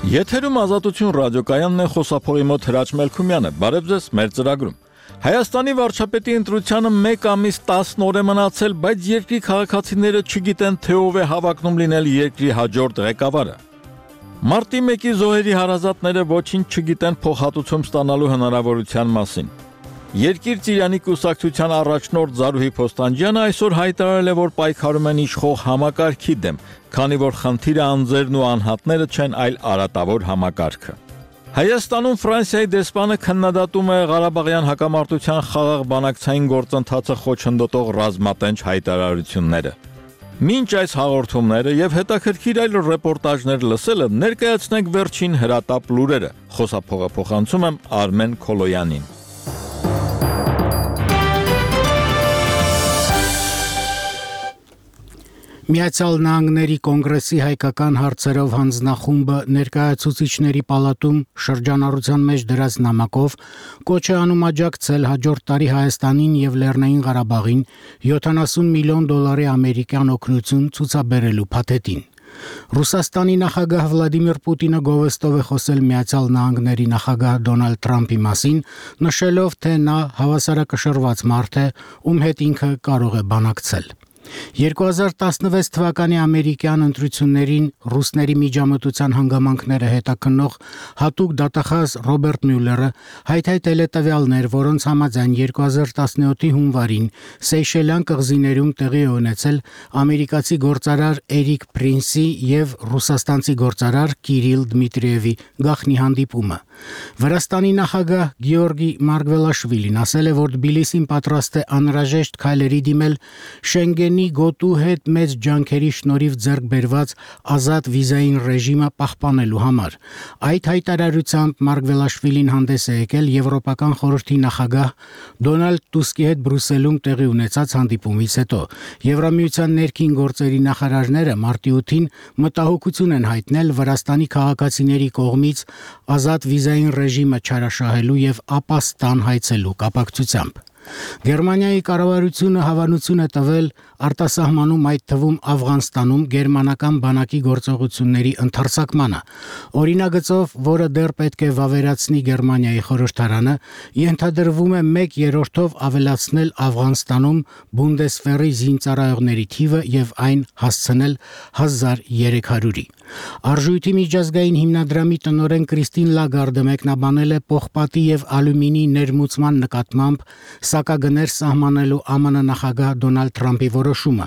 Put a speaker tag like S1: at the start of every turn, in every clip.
S1: Եթերում Ազատություն ռադիոկայանն է, խոսափողի մոտ Հրաչ Մելքումյանը։ Բարև ձեզ մեր ծրագրում։ Հայաստանի վարչապետի ընտրությանը 1 ամիս 10 օր է մնացել, բայց երկրի քաղաքացիները չգիտեն, թե ով է հավակնում լինել երկրի հաջորդ ղեկավարը։ Մարտի 1-ի զոհերի հարազատները ոչինչ չգիտեն փոխհատուցում ստանալու հնարավորության մասին։ Երկիր Ծիրանի կուսակցության առաջնորդ Զարուհի Փոստանջյանը այսօր հայտարարել է, որ պայքարում են իշխող համակարգի դեմ, քանի որ խնդիրը անձերն ու անհատները չեն, այլ արատավոր համակարգը։ Հայաստանում Ֆրանսիայի դեսպանը քննադատում է Ղարաբաղյան հակամարտության խաղաղ բանակցային գործընթացը խոչընդոտող ռազմատենչ հայտարարությունները։ Մինչ այս հաղորդումները եւ հետաքրքիր այլ ռեպորտաժներ լսելը, ներկայացնենք վերջին հրատապ լուրերը։ Խոսափողը փոխանցում եմ Արմեն Քոլոյանին։
S2: Միացյալ Նահանգների կոնգրեսի հայկական հարցերով հանձնախումբը ներկայացուցիչների պալատում շրջանառության մեջ դրած նամակով կոչ է անում աջակցել հաջորդ տարի Հայաստանին եւ Լեռնային Ղարաբաղին $70 միլիոն ամերիկյան օգնություն ցուցաբերելու փաթեթին։ Ռուսաստանի նախագահ Վլադիմիր Պուտինը գովեստով է խոսել Միացյալ Նահանգների նախագահ Դոնալդ Թրամփի մասին, նշելով, թե նա հավասարակշռված մարդ է, ում հետ ինքը կարող է բանակցել։ 2016 թվականի ամերիկյան ընտրություններին ռուսների միջամտության հանգամանքները հետաքննող հատուկ դատախազ Ռոբերտ Մյուլլերը հայտարարել է տվյալներ, որոնց համաձայն 2017-ի հունվարին Սեյշելյան կղզիներում տեղի է ունեցել ամերիկացի գործարար Էրիկ Պրինսի եւ ռուսաստանցի գործարար Կիրիլ Դմիտրիևի գաղտնի հանդիպումը։ Վրաստանի նախագահ Գեորգի Մարգվելաշվիլին ասել է, որ Թբիլիսին պատրաստ է անհրաժեշտ քայլերի դիմել Շենգենի գոտու հետ մեծ ջանքերի շնորհիվ ձեռք բերված ազատ վիզային ռեժիմը պահպանելու համար։ Այդ հայտարարությամբ Մարգվելաշվիլին հանդես է եկել Եվրոպական խորհրդի նախագահ Դոնալդ Տուսկի հետ Բրյուսելում տեղի ունեցած հանդիպումից հետո։ Եվրամիության ներքին գործերի նախարարները մարտի 8-ին մտահոգություն են հայտնել Վրաստանի քաղաքացիների կողմից ազատ վիզային ռեժիմը չարաշահելու եւ ապաստան հայցելու կապակցությամբ։ Գերմանիայի կառավարությունը հավանություն է տվել արտասահմանում, այդ թվում Աֆղանստանում գերմանական բանակի գործողությունների ընդարձակմանը։ Օրինագծով, որը դեռ պետք է վավերացնի Գերմանիայի խորհրդարանը, ենթադրվում է 1/3-ով ավելացնել Աֆղանստանում Բունդեսվերի զինծառայողների թիվը եւ այն հասցնել 1300-ի։ Արժույթի միջազգային հիմնադրամի տնօրեն Կրիստին Լագարդը մեկնաբանել է պողպատի եւ ալյումինի ներմուծման նկատմամբ սակագներ սահմանելու ԱՄՆ նախագահ Դոնալդ Թրամփի որոշումը,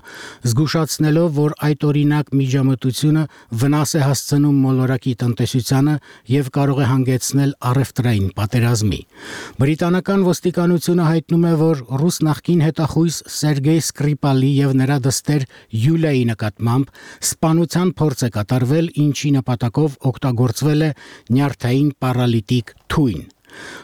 S2: զգուշացնելով, որ այդ օրինակ միջամտությունը վնաս է հասցնում մոլորակի տնտեսությանը եւ կարող է հանգեցնել առևտրային պատերազմի։ Բրիտանական ոստիկանությունը հայտնում է, որ ռուս նախկին հետախույզ Սերգեյ Սկրիպալի եւ նրա դստեր Յուլիայի նկատմամբ սպանության փորձ է կատարվել, ինչի նպատակով օգտագործվել է նյարդային պարալիտիկ թույն։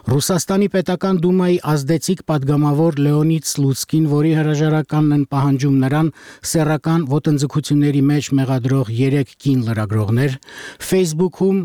S2: Ռուսաստանի պետական դումայի ազդեցիկ падգամավոր Լեոնիդ Սլուցկին, որի հրաժարականն են պահանջում նրան սեռական ոտնձգությունների մեջ մեղադրող 3 կին լրագրողներ, Facebook-ում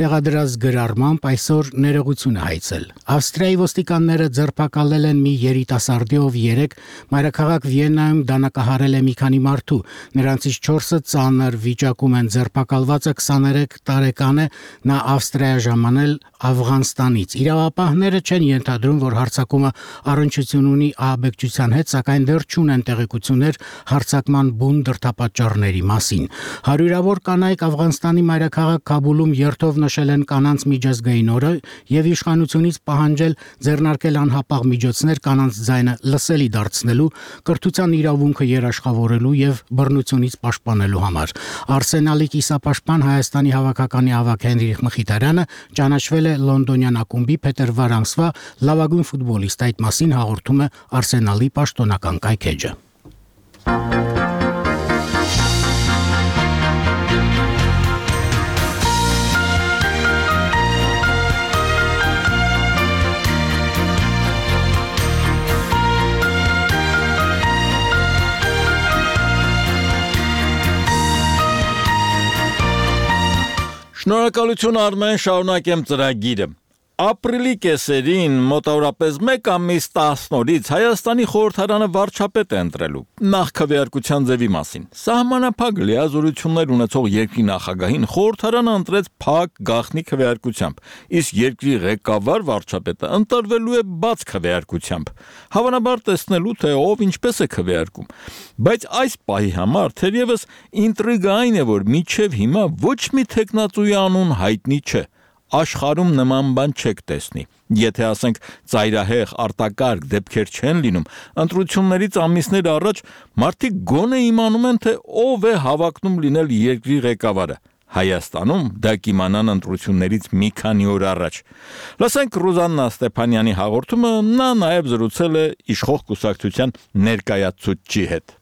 S2: տեղադրած գրառմամբ այսօր ներողություն է հայցել։ Ավստրիայի ոստիկանները ձերբակալել են մի երիտասարդի, ով 3 մայրաքաղաք Վիեննայում դանակահարել է մի քանի մարդու։ Նրանցից 4-ը ծանր վիճակում են, ձերբակալվածը 23 տարեկան է, նա Ավստրիա ժամանել Աֆղանստանից։ Իրավապահները չեն ենթադրում, որ հարձակումը առնչություն ունի ահաբեկչության հետ, սակայն դեռ չունեն տեղեկություններ հարձակման բուն դրդապատճառների մասին։ Հարյուրավոր կանայք Աֆղանստանի մայրաքաղաք Քաբուլում երթով նշել են կանանց միջազգային օրը եւ իշխանությունից պահանջել ձեռնարկել անհապաղ միջոցներ կանանց ձայնը լսելի դարձնելու, կրթության իրավունքը երաշխավորելու եւ բռնությունից պաշտպանելու համար։ Արսենալի կիսապաշտպան Հայաստանի հավաքականի ավագ Հենրիխ Մխիթարյանը ճանաչվել է Լոնդոնյան ակումբի փետրվար ամսվա լավագույն ֆուտբոլիստ, այդ մասին հաղորդում է Արսենալի պաշտոնական կայքեջը։
S1: Շնորհակալություն Արմեն, շարունակեմ ծրագիրը։ Ապրիլի կեսերին մոտավորապես 1 ամիս 10 օրից Հայաստանի խորհրդարանը վարչապետ է ընտրելու նախ քվեարկության ձևի մասին։ Սահմանափակ լիազորություններ ունեցող երկրի նախագահին խորհրդարանը ընտրեց փակ գաղտնի քվեարկությամբ, իսկ երկրի ղեկավար վարչապետը ընտրվելու է բաց քվեարկությամբ։ Հավանաբար տեսնելու թե ով ինչպես է քվեարկում։ Բայց այս պահի համար թերևս ինտրիգային է, որ մինչև հիմա ոչ մի թեկնածուի անուն հայտնի չէ։ Աշխարհում նման բան չեք տեսնի։ Եթե ասենք ծայրահեղ արտակարգ դեպքեր չեն լինում, ընտրություններից ամիսներ առաջ մարդիկ գոնե իմանում են, թե ով է հավակնում լինել երկրի ղեկավարը։ Հայաստանում դա կիմանան ընտրություններից մի քանի օր առաջ։ Լսենք Ռուզաննա Ստեփանյանի հաղորդումը, նա նաև զրուցել է իշխող կուսակցության ներկայացուցչի հետ։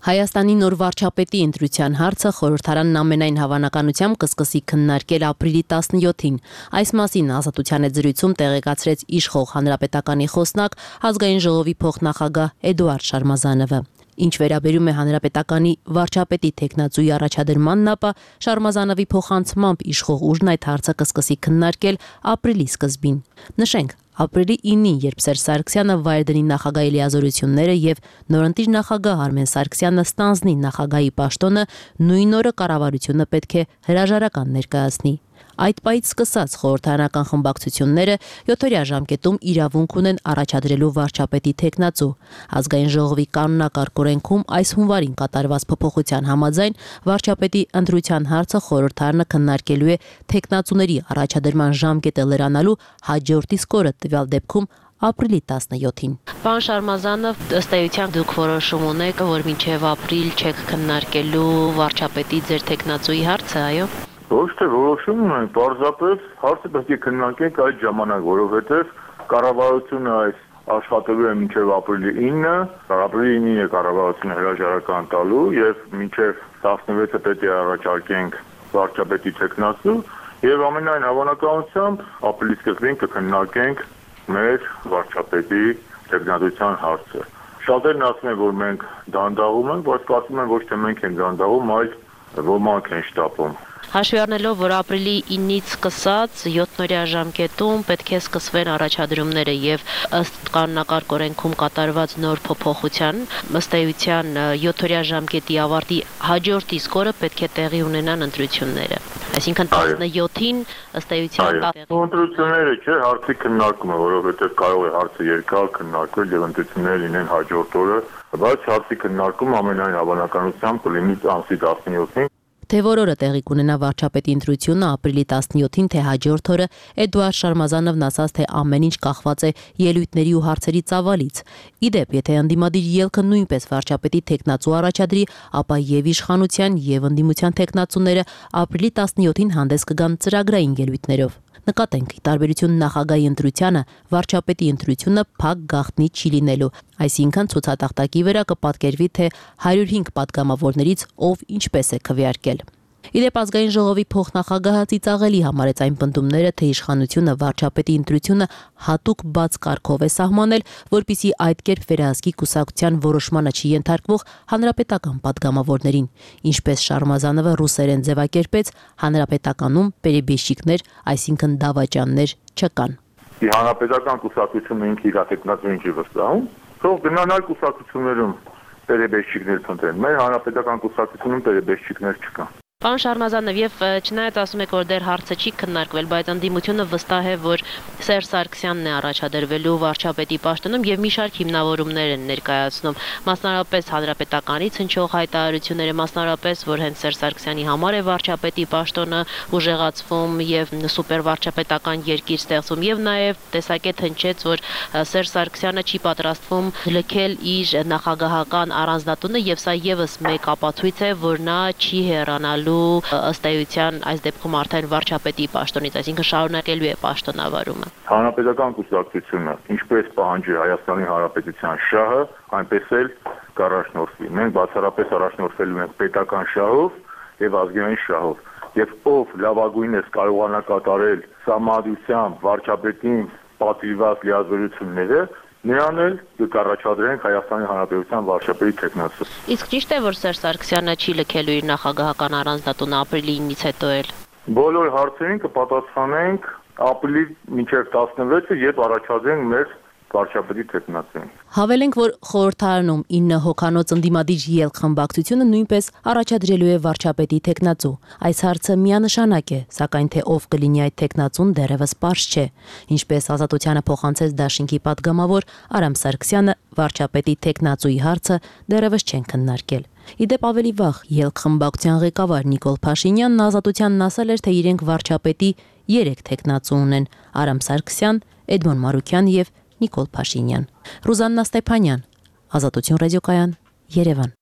S3: Հայաստանի նոր վարչապետի ընտրության հարցը խորհրդարանն ամենայն հավանականությամբ կսկսի քննարկել ապրիլի 17-ին։ Այս մասին Ազատության հետ զրույցում տեղեկացրեց իշխող հանրապետականի խոսնակ Ազգային ժողովի փոխնախագահ Էդուարդ Շարմազանովը։ Ինչ վերաբերում է հանրապետականի վարչապետի թեկնածուի առաջադրմանն, ապա Շարմազանովի փոխանցմամբ իշխող ուժն այդ հարցը կսկսի քննարկել ապրիլի սկզբին։ Նշենք, ապրիլի 9-ին, երբ Սերժ Սարգսյանը վայր դնի նախագահի լիազորությունները եւ նորընտիր նախագահ Արմեն Սարգսյանը ստանձնի նախագահի պաշտոնը, նույն օրը կառավարությունը պետք է հրաժարական ներկայացնի։ Այդ պահից սկսած խորհրդարանական խմբակցությունները 7-օրյա ժամկետում իրավունք ունեն առաջադրելու վարչապետի թեկնածու։ Ազգային ժողովի կանոնակարգ օրենքում այս հունվարին կատարված փոփոխության համաձայն վարչապետի ընտրության հարցը խորհրդարանը քննարկելու է թեկնածուների առաջադրման ժամկետը լրանալու հաջորդ իսկ օրը, տվյալ դեպքում ապրիլի 17-ին։ Պարոն Շարմազանով, ըստ էության դուք որոշում ունեք, որ մինչև ապրիլ չեք քննարկելու վարչապետի ձեր թեկնածուի հարցը, այո։
S4: Ոչ թե որոշում ունենք, պարզապես հարցը պետք է քննարկենք այդ ժամանակ, որովհետև կառավարությունը այս աշխատելու է մինչև ապրիլի 9-ը, ապրիլի 9-ին է կառավարությունը հրաժարական տալու եւ մինչև 16-ը պետք է առաջարկենք վարչապետի թեկնածու եւ ամենայն հավանականությամբ ապրիլի սկզբին կքննարկենք մեր վարչապետի թեկնածության հարցը։ Շատերն ասում են, որ մենք դանդաղում ենք, բայց կարծում եմ ոչ թե մենք ենք դանդաղում, այլ ոմանք են շտապում։
S3: Հաշվի առնելով, որ ապրիլի 9-ից սկսած 7-օրյա ժամկետում պետք է սկսվեն առաջադրումները եւ ըստ կանոնակարգ օրենքում կատարված նոր փոփոխության, ըստ էության 7-օրյա ժամկետի ավարտի հաջորդ իսկ օրը պետք է տեղի ունենան ընտրությունները։ Այսինքն 17-ին ըստ էության
S4: ընտրությունները չէ, հարցի քննարկումը, որովհետեւ կարող է հարցը երկար քննարկվել եւ ընտրությունները լինեն հաջորդ օրը, բայց հարցի քննարկումը ամենայն հավանականությամբ կլինի ամսի 17-ին։
S3: Թե որ օրը տեղի կունենա վարչապետի ընտրությունը ապրիլի 17-ին, թե հաջորդ օրը, Էդուարդ Շարմազանովն ասաց, թե ամեն ինչ կախված է ելույթների ու հարցերի ծավալից։ Իդեպ, եթե ընդդիմադիր ելքը նույնպես վարչապետի թեկնածու առաջադրի, ապա եւ իշխանության եւ ընդդիմության թեկնածուները ապրիլի 17-ին հանդես կգան ծրագրային ելույթներով։ Նկատենք, ի տարբերություն նախագահի ընտրությանը, վարչապետի ընտրությունը փակ գաղտնի չի լինելու, այսինքն ցուցատախտակի վրա կպատկերվի, թե 105 պատգամավորներից ով ինչպես է քվեարկել։ Իդեպ Ազգային ժողովի փոխնախագահը ծիծաղելի համարեց այն պնդումները, թե իշխանությունը վարչապետի ընտրությունը հատուկ բաց կարգով է սահմանել, որպիսի այդ կերպ վերահսկի կուսակցության որոշմանը չի ենթարկվող հանրապետական պատգամավորներին։ Ինչպես Շարմազանովը ռուսերեն ձևակերպեց, հանրապետականում պերեբեշիկներ, այսինքն դավաճաններ չկան։
S4: Հանրապետական կուսակցությունը ինքը իր թեկնածուին չի վստահում, թող գնան այլ կուսակցություններում պերեբեշիկներ փնտրեն։ Մեր հանրապետական կուսակցությունում պերեբեշիկներ չկան։
S3: Պարոն Շարմազանով, եւ չնայած ասում եք, որ դեռ հարցը չի քննարկվել, բայց ընդդիմությունը վստահ է, որ Սերժ Սարգսյանն է առաջադրվելու վարչապետի պաշտոնում եւ մի շարք հիմնավորումներ են ներկայացնում, մասնարարպես հանրապետականից հնչող հայտարարությունները, մասնարարպես, որ հենց Սերժ Սարգսյանի համար է վարչապետի պաշտոնը ուժեղացվում եւ սուպեր վարչապետական երկիր ստեղծվում եւ նաեւ տեսակետ հնչեց, որ Սերժ Սարգսյանը չի պատրաստվում լքել իր նախագահական առանձնատունը եւ սա եւս մեկ ապացույց է, որ նա չի հեռանալու ըստ էության այս դեպքում արդեն վարչապետի պաշտոնից, այսինքն շարունակելու է պաշտոնավարումը։
S4: Հանրապետական կուսակցությունը ինչպես պահանջի Հայաստանի Հանրապետության շահը, այնպես էլ կառաջնորդվի։ Մենք բացառապես առաջնորդվելու ենք պետական շահով եւ ազգային շահով։ Եվ ով լավագույնս կարողանա կատարել համադրությամբ վարչապետին պատվիրված լիազորությունները, նրան էլ կառաջադրենք Հայաստանի Հանրապետության վարչապետի թեկնածու։
S3: Իսկ ճիշտ է, որ Սերժ Սարգսյանը չի լքելու իր նախագահական առանձնատունը ապրիլի 9-ից հետո էլ։
S4: Բոլոր հարցերին կպատասխանենք ապրիլի մինչև 16-ը, երբ առաջադրենք մեր վարչապետի թեկնածուին։
S3: Հավելենք, որ խորհրդարանում 9 հոգանոց ընդդիմադիր ելք խմբակցությունը նույնպես առաջադրելու է վարչապետի թեկնածու։ Այս հարցը միանշանակ է, սակայն թե ով կլինի այդ թեկնածուն դեռևս պարզ չէ։ Ինչպես Ազատությանը փոխանցեց Դաշինքի պատգամավոր Արամ Սարգսյանը, վարչապետի թեկնածուի հարցը դեռևս չեն քննարկել։ Իդեպ ավելի վաղ ելք խմբակցության ղեկավար Նիկոլ Փաշինյանն Ազատությանն ասել էր, թե իրենք վարչապետի 3 թեկնածու ունեն՝ Արամ Սարգսյան, Էդմոն Մարուկյան եւ Նիկոլ Փաշինյան։ Ռուզաննա Ստեփանյան, Ազատություն ռադիոկայան, Երևան։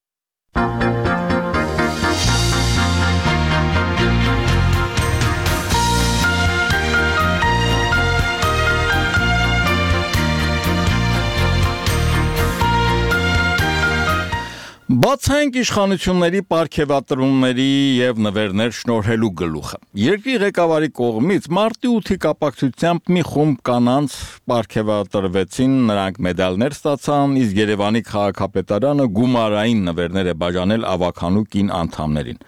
S1: Բացենք իշխանությունների պարգևատրումների եւ նվերներ շնորհելու գլուխը։ Երկրի ղեկավարի կողմից մարտի 8-ի կապակցությամբ մի խումբ կանանց պարգևատրվեցին, նրանք մեդալներ ստացան, իսկ Երևանի քաղաքապետարանը գումարային նվերներ է բաժանել ավականու կին անդամներին։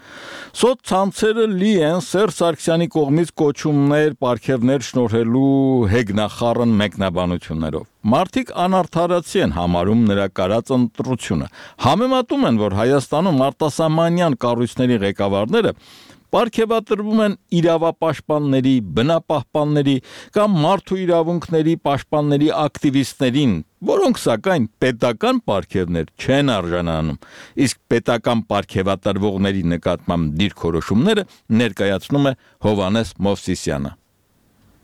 S1: Սոցցանցերը լի են Սերժ Սարգսյանի կողմից կոչումներ, պարգևներ շնորհելու հեգնախառն մեկնաբանություններով։ Մարդիկ անարդարացի են համարում նրա կարած ընտրությունը։ Համեմատում են, որ Հայաստանում արտասահմանյան կառույցների ղեկավարները պարգևատրվում են իրավապաշտպանների, բնապահպանների կամ մարդու իրավունքների պաշտպանների ակտիվիստներին, որոնք սակայն պետական պարգևներ չեն արժանանում, իսկ պետական պարգևատրվողների նկատմամբ դիրքորոշումները ներկայացնում է Հովհաննես Մովսիսյանը։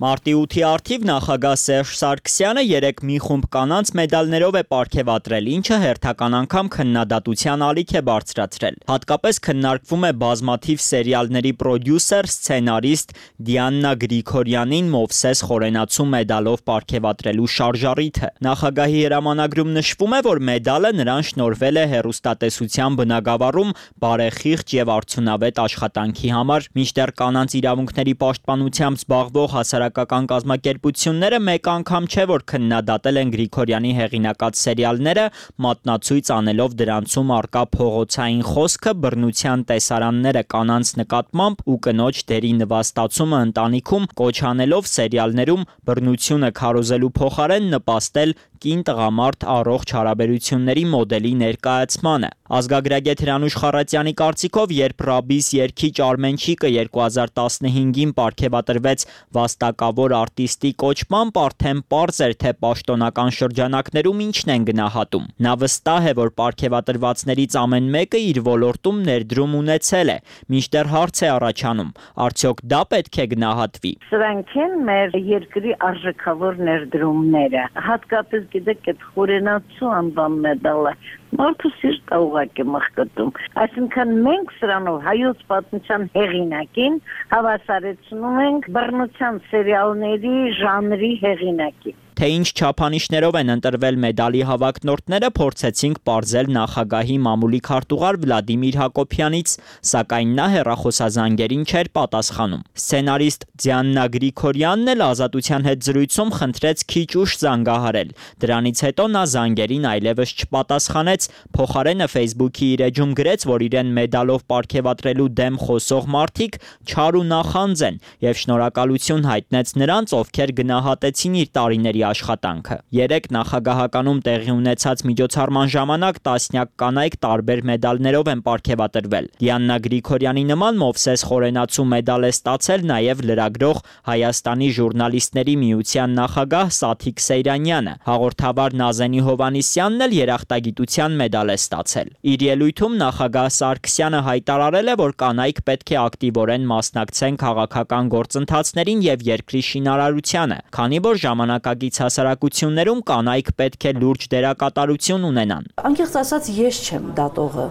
S5: Մարտի 8-ի առթիվ նախագահ Սերժ Սարգսյանը 3 մի խումբ կանանց մեդալներով է պարգևատրել, ինչը հերթական անգամ քննադատության ալիք է բարձրացրել։ Հատկապես քննարկվում է բազմաթիվ սերիալների պրոդյուսեր, սցենարիստ Դիաննա Գրիգորյանին Մովսես Խորենացու մեդալով պարգևատրելու շարժառիթը։ Նախագահի հրամանագրում նշվում է, որ մեդալը նրան շնորհվել է հեռուստատեսության բնագավառում բարեխիղճ եւ արդյունավետ աշխատանքի համար, մինչդեռ կանանց իրավունքների պաշտպանությամբ զբաղվող հասարակական կազմակերպությունները մեկ անգամ չէ, որ քննադատել են Գրիգորյանի հեղինակած սերիալները, մատնացույց անելով դրանցում առկա փողոցային խոսքը, բռնության տեսարանները կանանց նկատմամբ ու կնոջ դերի նվաստացումը ընտանիքում, կոչ անելով սերիալներում բռնությունը քարոզելու փոխարեն նպաստել կին-տղամարդ առողջ հարաբերությունների մոդելի ներկայացմանը։ Ազգագրագետ Հրանուշ Խառատյանի կարծիքով, երբ Ռաբիս երգիչ Արմենչիկը 2015-ին պարգևատրվեց վաստակավոր արտիստի կոչմամբ, արդեն պարզ էր, թե պաշտոնական շրջանակներում ինչն են գնահատում։ Նա վստահ է, որ պարգևատրվածներից ամեն մեկը իր ոլորտում ներդրում ունեցել է, մինչդեռ հարց է առաջանում, արդյոք դա պետք է գնահատվի։
S6: Սրանք են մեր երկրի արժեքավոր ներդրումները, հատկապես գիտեք այդ Խորենացու անվան մեդալը մարդու սիրտը ուղղակի մխկտում։ Այսինքն մենք սրանով հայոց պատմության հեղինակին հավասարեցնում ենք բռնության սերիալների ժանրի հեղինակին։
S5: Թե ինչ չափանիշներով են ընտրվել մեդալի հավակնորդները, փորձեցինք պարզել նախագահի մամուլի քարտուղար Վլադիմիր Հակոբյանից, սակայն նա հեռախոսազանգերին չէր պատասխանում։ Սցենարիստ Դիաննա Գրիգորյանն էլ Ազատության հետ զրույցում խնդրեց քիչ ուշ զանգահարել։ Դրանից հետո նա զանգերին այլևս չպատասխանեց, փոխարենը Facebook-ի իր էջում գրեց, որ իրեն մեդալով պարգևատրելու դեմ խոսող մարդիկ չար ու նախանձ են եւ շնորհակալություն հայտնեց նրանց, ովքեր գնահատեցին իր տարիների աշխատանքը։ Երեք նախագահականում տեղի ունեցած միջոցառման ժամանակ տասնյակ կանայք տարբեր մեդալներով են պարգևատրվել։ Դիաննա Գրիգորյանի նման Մովսես Խորենացու մեդալ է ստացել նաև լրագրող Հայաստանի ժուրնալիստների միության նախագահ Սաթիկ Սեյրանյանը։ Հաղորդավար Նազենի Հովհաննիսյանն էլ երախտագիտության մեդալ է ստացել։ Իր ելույթում նախագահ Սարգսյանը հայտարարել է, որ կանայք պետք է ակտիվորեն մասնակցեն քաղաքական գործընթացներին եւ երկրի շինարարությանը, քանի որ ժամանակակից հասարակություններում կանայք պետք է լուրջ դերակատարություն ունենան։
S7: Անկեղծ ասած, ես չեմ դատողը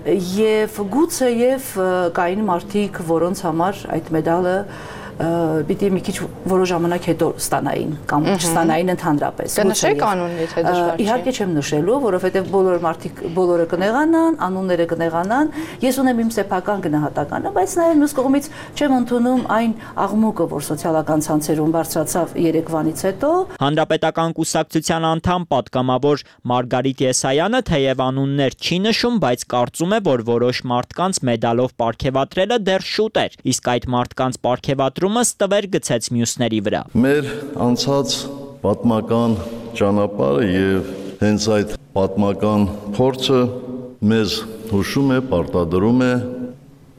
S7: եւ գուցե եւ կային մարդիկ, որոնց համար այդ մեդալը պիտի մի քիչ որոշ ժամանակ հետո ստանային կամ չստանային ընդհանրապես։
S8: Կնշեք անունն, եթե դժվար չէ։
S7: Իհարկե չեմ նշելու, որովհետև բոլոր մարդիկ բոլորը կնեղանան, անունները կնեղանան։ Ես ունեմ իմ սեփական գնահատականը, բայց նաև մյուս կողմից չեմ ընդունում այն աղմուկը, որ սոցիալական ցանցերում բարձրացավ Երևանից հետո։
S5: Հանրապետական կուսակցության անդամ պատգամավոր Մարգարիտ Եսայանը թեև անուններ չի նշում, բայց կարծում է, որ որոշ մարդկանց մեդալով պարգևատրելը դեռ շուտ էր, իսկ այդ մարդկանց պարգևատրումը փոխադրումը ստվեր գցեց մյուսների վրա։
S9: Մեր անցած պատմական ճանապարհը եւ հենց այդ պատմական փորձը մեզ հուշում է, պարտադրում է,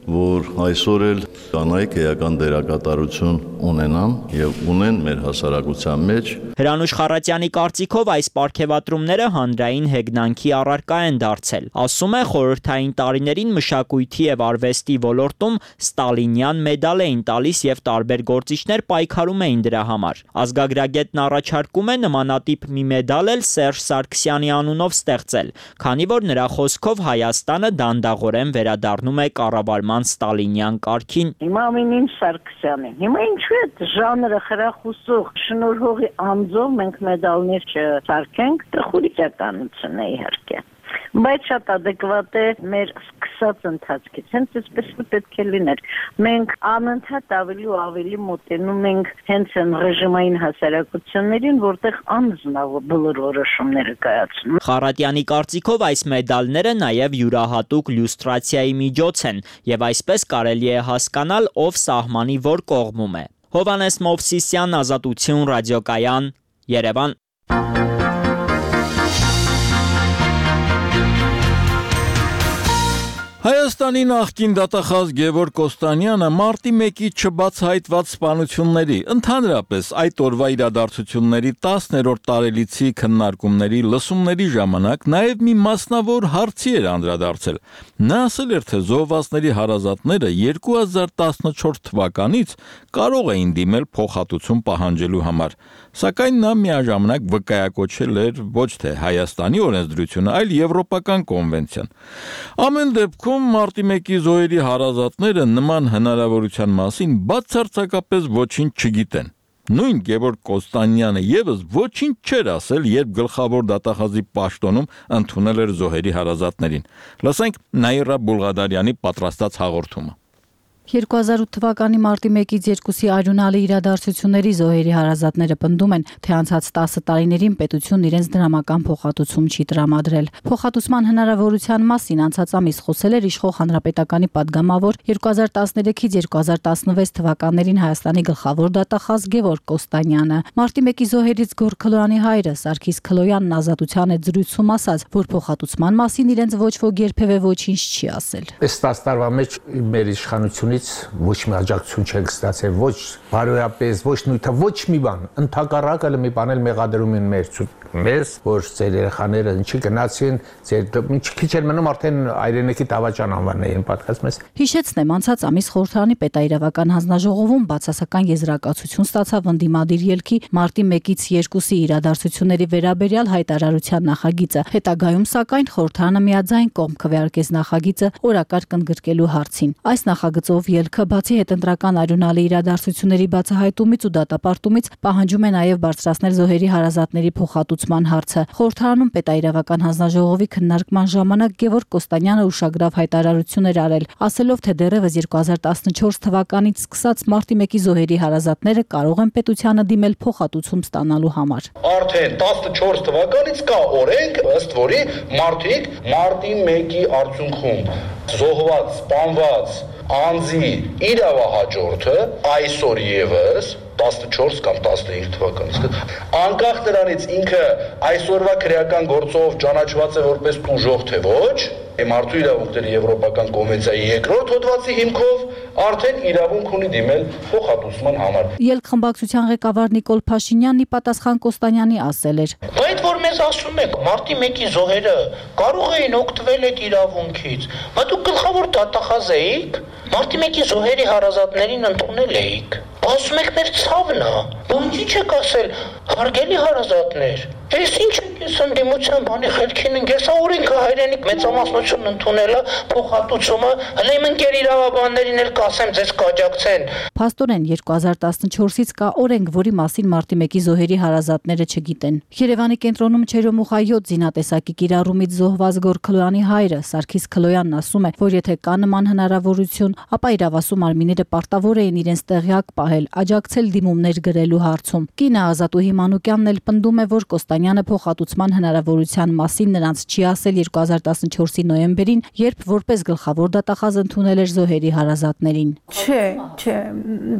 S9: որ այսօր էլ կանայք էական դերակատարություն ունենան եւ ունեն մեր հասարակության մեջ։
S5: Հրանուշ Խառատյանի կարծիքով այս պարգևատրումները հանրային հեգնանքի առարկա են դարձել։ Ասում է, խորհրդային տարիներին մշակույթի եւ արվեստի ոլորտում Ստալինյան մեդալ էին տալիս եւ տարբեր գործիչներ պայքարում էին դրա համար։ Ազգագրագետն առաջարկում է նմանատիպ մի մեդալ էլ Սերժ Սարգսյանի անունով ստեղծել, քանի որ նրա խոսքով Հայաստանը դանդաղորեն վերադառնում է կառավարման Ստալինյան կարգին։
S6: Հիմա ամենին Սարգսյանին։ Հիմա ինչու է ժանրը խրախուսող շնորհողի անձով մենք մեդալներ չսարքենք, տխուրիչականություն է իհարկե։ Բայց շատ adekvat է մեր սկսած ընթացքից, հենց այսպես պետք է լիներ։ Մենք անընդհատ ավելի ու ավելի մոտենում ենք հենց այն ռեժիմային հասարակություններին, որտեղ անձն է բոլոր որոշումները կայացնում։
S5: Խառատյանի կարծիքով այս մեդալները նաև յուրահատուկ լյուստրացիայի միջոց են, եւ այսպես կարելի է հասկանալ, ով սահմանի որ կողմում է։ Հովհաննես Մովսիսյան, Ազատություն, ռադիոկայան, Երևան։
S1: Հայաստանի նախկին դատախազ Գևորգ Կոստանյանը մարտի 1-ի չբացահայտված սպանությունների, ընդհանրապես այդ օրվա իրադարձությունների 10-րդ տարելիցի քննարկումների լսումների ժամանակ նաև մի մասնավոր հարցի էր անդրադարձել։ Նա ասել էր, թե զոհվածների հարազատները 2014 թվականից կարող էին դիմել փոխհատուցում պահանջելու համար, սակայն նա միաժամանակ վկայակոչել էր ոչ թե Հայաստանի օրենսդրությունը, այլ Եվրոպական կոնվենցիան։ Ամեն դեպքում մարտի 1-ի զոհերի հարազատները նման հնարավորության մասին բացարձակապես ոչինչ չգիտեն։ Նույն Գևորգ Կոստանյանը եւս ոչինչ չէր ասել, երբ գլխավոր դատախազի պաշտոնում ընդունել էր զոհերի հարազատներին։ Լսենք Նաիրա Բուլղադարյանի պատրաստած հաղորդումը։
S10: 2008 թվականի մարտի 1-ից 2-ի արյունալի իրադարձությունների զոհերի հարազատները պնդում են, թե անցած 10 տարիներին պետությունն իրենց դրամական փոխհատուցում չի տրամադրել։ Փոխհատուցման հնարավորության մասին անցած ամիս խոսել էր իշխող հանրապետականի падգամավոր 2013-ից 2016 թվականներին Հայաստանի գլխավոր դատախազ Գևորգ Կոստանյանը։ Մարտի 1-ի զոհերից Գորգ Քլոյանի հայրը Սարգիս Քլոյանն Ազատության հետ զրույցում ասաց, որ փոխհատուցման մասին իրենց ոչ ոք երբևէ ոչինչ չի ասել։
S11: Այս 10 տարվա մեջ մեր իշխանությունը ոչ մի աջակցություն չենք ստացել, ոչ բարոյապես, ոչ նույնը, ոչ մի բան, ընդհակառակը մի բան էլ մեղադրում են մեզ, որ ձեր երեխաները ինչի գնացին, ձեր քիչ էր մնում արդեն այրենեքի դավաճան անվանել են պատկասում ես։
S10: Հիշեցնեմ, անցած ամիս խորհրդարանի պետաիրավական հանձնաժողովում բացասական եզրակացություն ստացավ ընդդիմադիր ելքի մարտի 1-ից 2-ի իրադարձությունների վերաբերյալ հայտարարության նախագիծը։ Հետագայում սակայն խորհրդարանը միաձայն կողմ քվեարկեց նախագիծը օրակարգ ընդգրկելու հարցին։ Այս նախագծով ելքը բացի հետընտրական արյունալի իրադարձությունների բացահայտումից ու դատապարտումից պահանջում է նաև բարձրացնել զոհերի հարազատների փոխհատուցման հարցը։ Խորհրդարանում պետաիրավական հանձնաժողովի քննարկման ժամանակ Գևորգ Կոստանյանը ուշագրավ հայտարարություն էր արել, ասելով, թե դեռևս 2014 թվականից սկսած մարտի 1-ի զոհերի հարազատները կարող են պետությանը դիմել փոխհատուցում ստանալու համար։
S12: Արդեն 14 թվականից կա օրենք, ըստ որի մարդիկ մարտի 1-ի արդյունքում զոհված, սպանված անձի իրավահաջորդը այսօր եւս 14 կամ 15 թվականից անկախ նրանից ինքը այսօրվա քրեական գործով ճանաչված է որպես տուժող թե ոչ, մարդու իրավունքների Եվրոպական կոնվենցիայի երկրորդ հոդվածի հիմքով արդեն իրավունք ունի դիմել փոխհատուցման համար։
S10: Ելք խմբակցության ղեկավար Նիկոլ Փաշինյանն ի պատասխան Կոստանյանի ասել էր.
S13: Այդ որ մեզ ասում եք մարտի 1-ի զոհերը կարող էին օգտվել այդ իրավունքից, բայց դուք գլխավոր դատախազ էիք, մարտի 1-ի զոհերի հարազատներին ընդունել էիք։ Ասում եք մեր ցավն է, բանջի չեք ասել, հարգելի հարազատներ, ես ինչ եք ես ընդդիմության բանի խելքին ենք, ես օրենքը հայրենիք մեծամասնություն ընդունելը, փոխհատուցումը, հələ իմ ընկեր իրավաբաններին էլ կասեմ, ձեզ կաջակցեն։
S10: Փաստորեն 2014-ից կա օրենք, որի մասին մարտի 1-ի զոհերի հարազատները չգիտեն։ Երևանի կենտրոնում Չերոմուխայոց զինատեսակի կիրառումից զոհված Գորգ Քլոյանի հայրը Սարգիս Քլոյանն ասում է, որ եթե կա նման հնարավորություն, ապա իրավասու մարմինները պարտավոր էին իրենց տեղյակ պահել, աջակցել դիմումներ գրելու հարցում։ Կինը Ազատուհի Մանուկյանն էլ պնդում է, որ Վարդանյանը փոխհատուցման հնարավորության մասին նրանց չի ասել 2014-ի նոյեմբերին, երբ որպես գլխավոր դատախազ ընդունել էր զոհերի հարազատներին։
S14: Չէ,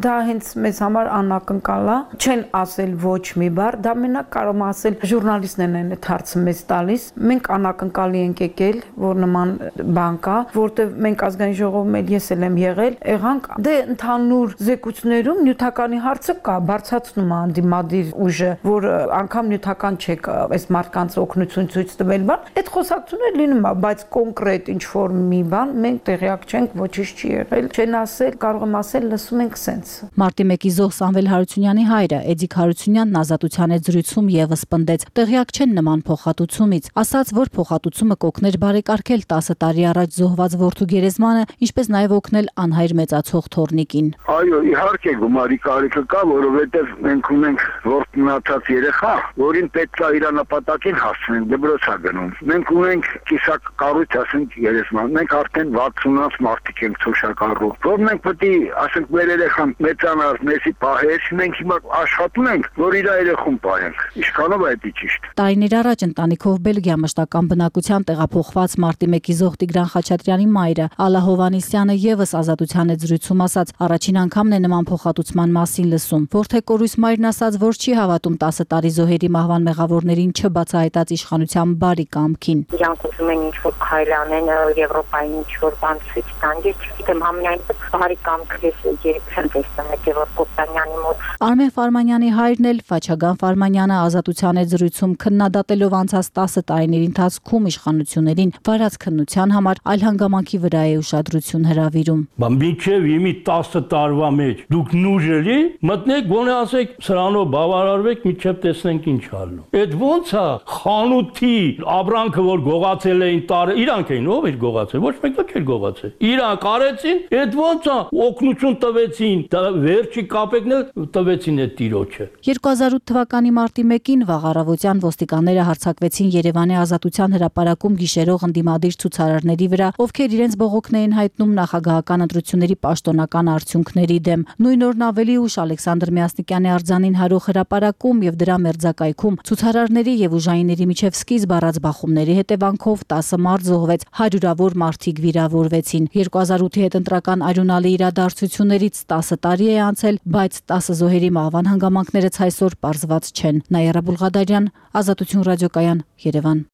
S14: դա հենց մեզ համար անակնկալ է, չեն ասել ոչ մի բառ, դա մենակ կարող եմ ասել ժուրնալիստներն են այդ հարցը մեզ տալիս։ Մենք անակնկալի ենք եկել, որ նման բան կա, որտեղ մենք ազգային ժողովում էլ ես եմ եղել, եղանք դե ընդհանուր զեկույցներում նյութականի հարցը կա, բարձրացնում է անդիմադիր ուժը, որ անգամ նյութական չեք այս մարդկանց օգնություն ցույց տվել, բան, այդ խոսակցությունները լինում է, բայց կոնկրետ ինչ որ մի բան մենք տեղյակ չենք, ոչինչ չի եղել, չեն ասել, կարող եմ ասել, լսում ենք սենց։
S10: Մարտի 1-ի զոհ Սամվել Հարությունյանի հայրը Էդիկ Հարությունյանն Ազատության հետ զրույցում եւս պնդեց, տեղյակ չեն նման փոխհատուցումից, ասաց, որ փոխհատուցումը կօգներ բարեկարգել 10 տարի առաջ զոհված որդու գերեզմանը, ինչպես նաեւ օգնել անհայր մեծացող թորնիկին։
S15: Այո, իհարկե գումարի կարիքը կա, որովհետև մենք ունենք որդնացած երեխա, որին պետք է իր նպատակին հասնենք, դպրոց է գնում։ Մենք ունենք կիսակ կառույց, ասենք երեզման, մենք արդեն 60-ից մարդիկ ենք ցոշակառու, որ մենք պետք է, ասենք, մեր երեխան մեծանար, մեզի պահեր, մենք հիմա աշխատում ենք, որ իր երեխուն պահենք։ Ինչքանով է դա ճիշտ։
S10: Տարիներ առաջ ընտանիքով Բելգիա մշտական բնակության տեղափոխված Մարտի 1-ի զոհ Տիգրան Խաչատրյանի մայրը Ալա Հովանեսյանը եւս Ազատության հետ զրույցում ասաց, առաջին անգամն է նման փոխհատուցման մասին լսում։ Որդեկորույս մայրն ասաց, որ չի հավատում 10 տարի զոհերի մահվան մեղավորներին չբացահայտած իշխանության բարի կամքին։
S16: Իրանք ուզում են ինչ-որ քայլ անեն, Եվրոպային ինչ-որ բան ցույց տան, ես չգիտեմ, համենայնպես բարի կամքը ես երբ չեմ տեսնում Գևորգ Կոստանյանի մոտ։
S10: Արմեն Ֆարմանյանի հայրն էլ Ֆաչագան Ֆարմանյանը Ազատության հետ զրույցում քննադատելով անցած 10 տարիների ընթացքում իշխանություններին վարած քննության համար այլ հանգամանքի վրա է ուշադրություն հրավիրում։
S17: Մինչև իմի 10 տարվա մեջ դուք նուժելի մտնեք, գոնե ասեք սրանով բավարարվեք, մինչև տեսնենք ինչ ալու։ Այդ ո՞նց է խանութի աբրանքը, որ գողացել էին տարը, իրանք էին, ով էր գողացել, ոչ մեկը չէր գողացել։ Իրանք արեցին, այդ ո՞նց է օգնություն տվեցին, վերջի կապեկն էլ տվեցին այդ տիրոջը։
S10: 2008 թվականի մարտի 1-ին վաղ առավոտյան ոստիկանները հարձակվեցին Երևանի Ազատության հրապարակում գիշերող ընդդիմադիր ցուցարարների վրա, ովքեր իրենց բողոքն էին հայտնում նախագահական ընտրությունների պաշտոնական արդյունքների դեմ։ Նույն օրն ավելի ուշ Ալեքսանդր Միասնիկյանի արձանին հարող հրապարակում եւ դրա մերձակայքում ցուցարարների եւ ուժայինների միջև սկիզբ առած բախումների հետևանքով 10 մարդ զոհվեց, հարյուրավոր մարդիկ վիրավորվեցին։ 2008-ի հետընտրական արյունալի իրադարձություններից 10 տարի է անցել, բայց 10 զոհերի մահվան հանգամանքները ցայսօր պարզված չեն։ Նաիրա Բուլղադարյան, Ազատություն ռադիոկայան, Երևան։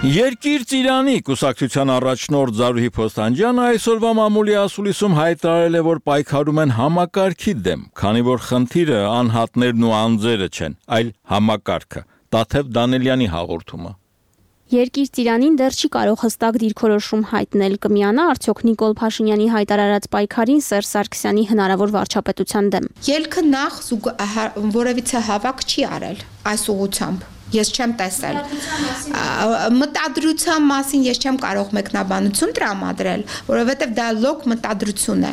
S1: Երկիր Ծիրանի կուսակցության առաջնորդ Զարուհի Փոստանջյանը այսօրվա մամուլի ասուլիսում հայտարարել է, որ պայքարում են համակարգի դեմ, քանի որ խնդիրը անհատներն ու անձերը չեն, այլ համակարգը։ Տաթև Դանելյանի հաղորդումը։
S18: Երկիր Ծիրանին դեռ չի կարող հստակ դիրքորոշում հայտնել, կմիանա արդյոք Նիկոլ Փաշինյանի հայտարարած պայքարին Սերժ Սարգսյանի հնարավոր վարչապետության դեմ։
S19: Ելքը նախ որևիցե հավաք չի արել այս ուղղությամբ։ Ես չեմ տեսել։ Մտադրության մասին ես չեմ կարող մեկնաբանություն տրամադրել, որովհետև դա լոկ մտադրություն է։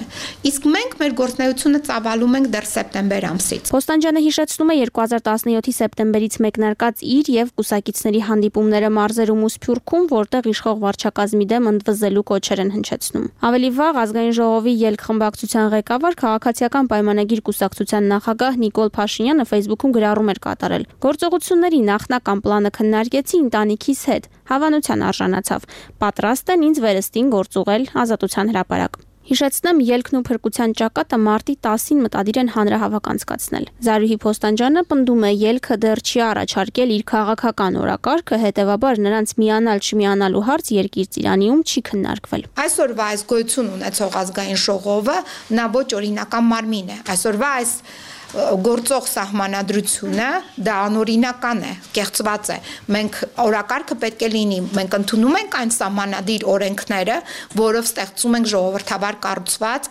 S19: Իսկ մենք մեր գործունեությունը ծավալում ենք դեռ սեպտեմբեր ամսից։
S18: Փոստանջյանը հիշեցնում է 2017-ի սեպտեմբերից մեկնարկած իր եւ կուսակիցների հանդիպումները մարզերում ու Սփյուռքում, որտեղ իշխող վարչակազմի դեմ ընդվզելու կոչեր են հնչեցնում։ Ավելի վաղ ազգային ժողովի ելք խմբակցության ղեկավար քաղաքացիական պայմանագիր կուսակցության նախագահ Նիկոլ Փաշինյանը Facebook-ում գրառում էր կատարել։ Գործողությունների նախնական պլանը քննարկեցի ընտանիքիս հետ, հավանության արժանացավ։ Պատրաստ են ինձ վերստին գործուղել Ազատության հրապարակ։ Հիշեցնեմ, ելքն ու փրկության ճակատը մարտի 10-ին մտադիր են հանրահավաք անցկացնել։ Զարուհի Փոստանջյանը պնդում է, ելքը դեռ չի առաջարկել իր քաղաքական օրակարգը, հետևաբար նրանց միանալ չմիանալու հարց Երկիր Ծիրանում չի քննարկվել։
S19: Այսօրվա այս գոյություն ունեցող ազգային ժողովը նա ոչ օրինական մարմին է։ Այսօրվա այս գործող սահմանադրությունը դա անօրինական է, կեղծված է։ Մենք օրակարգը պետք է լինի, մենք ընդունում ենք այն սահմանադիր օրենքները, որով ստեղծում ենք ժողովրդավար կառուցված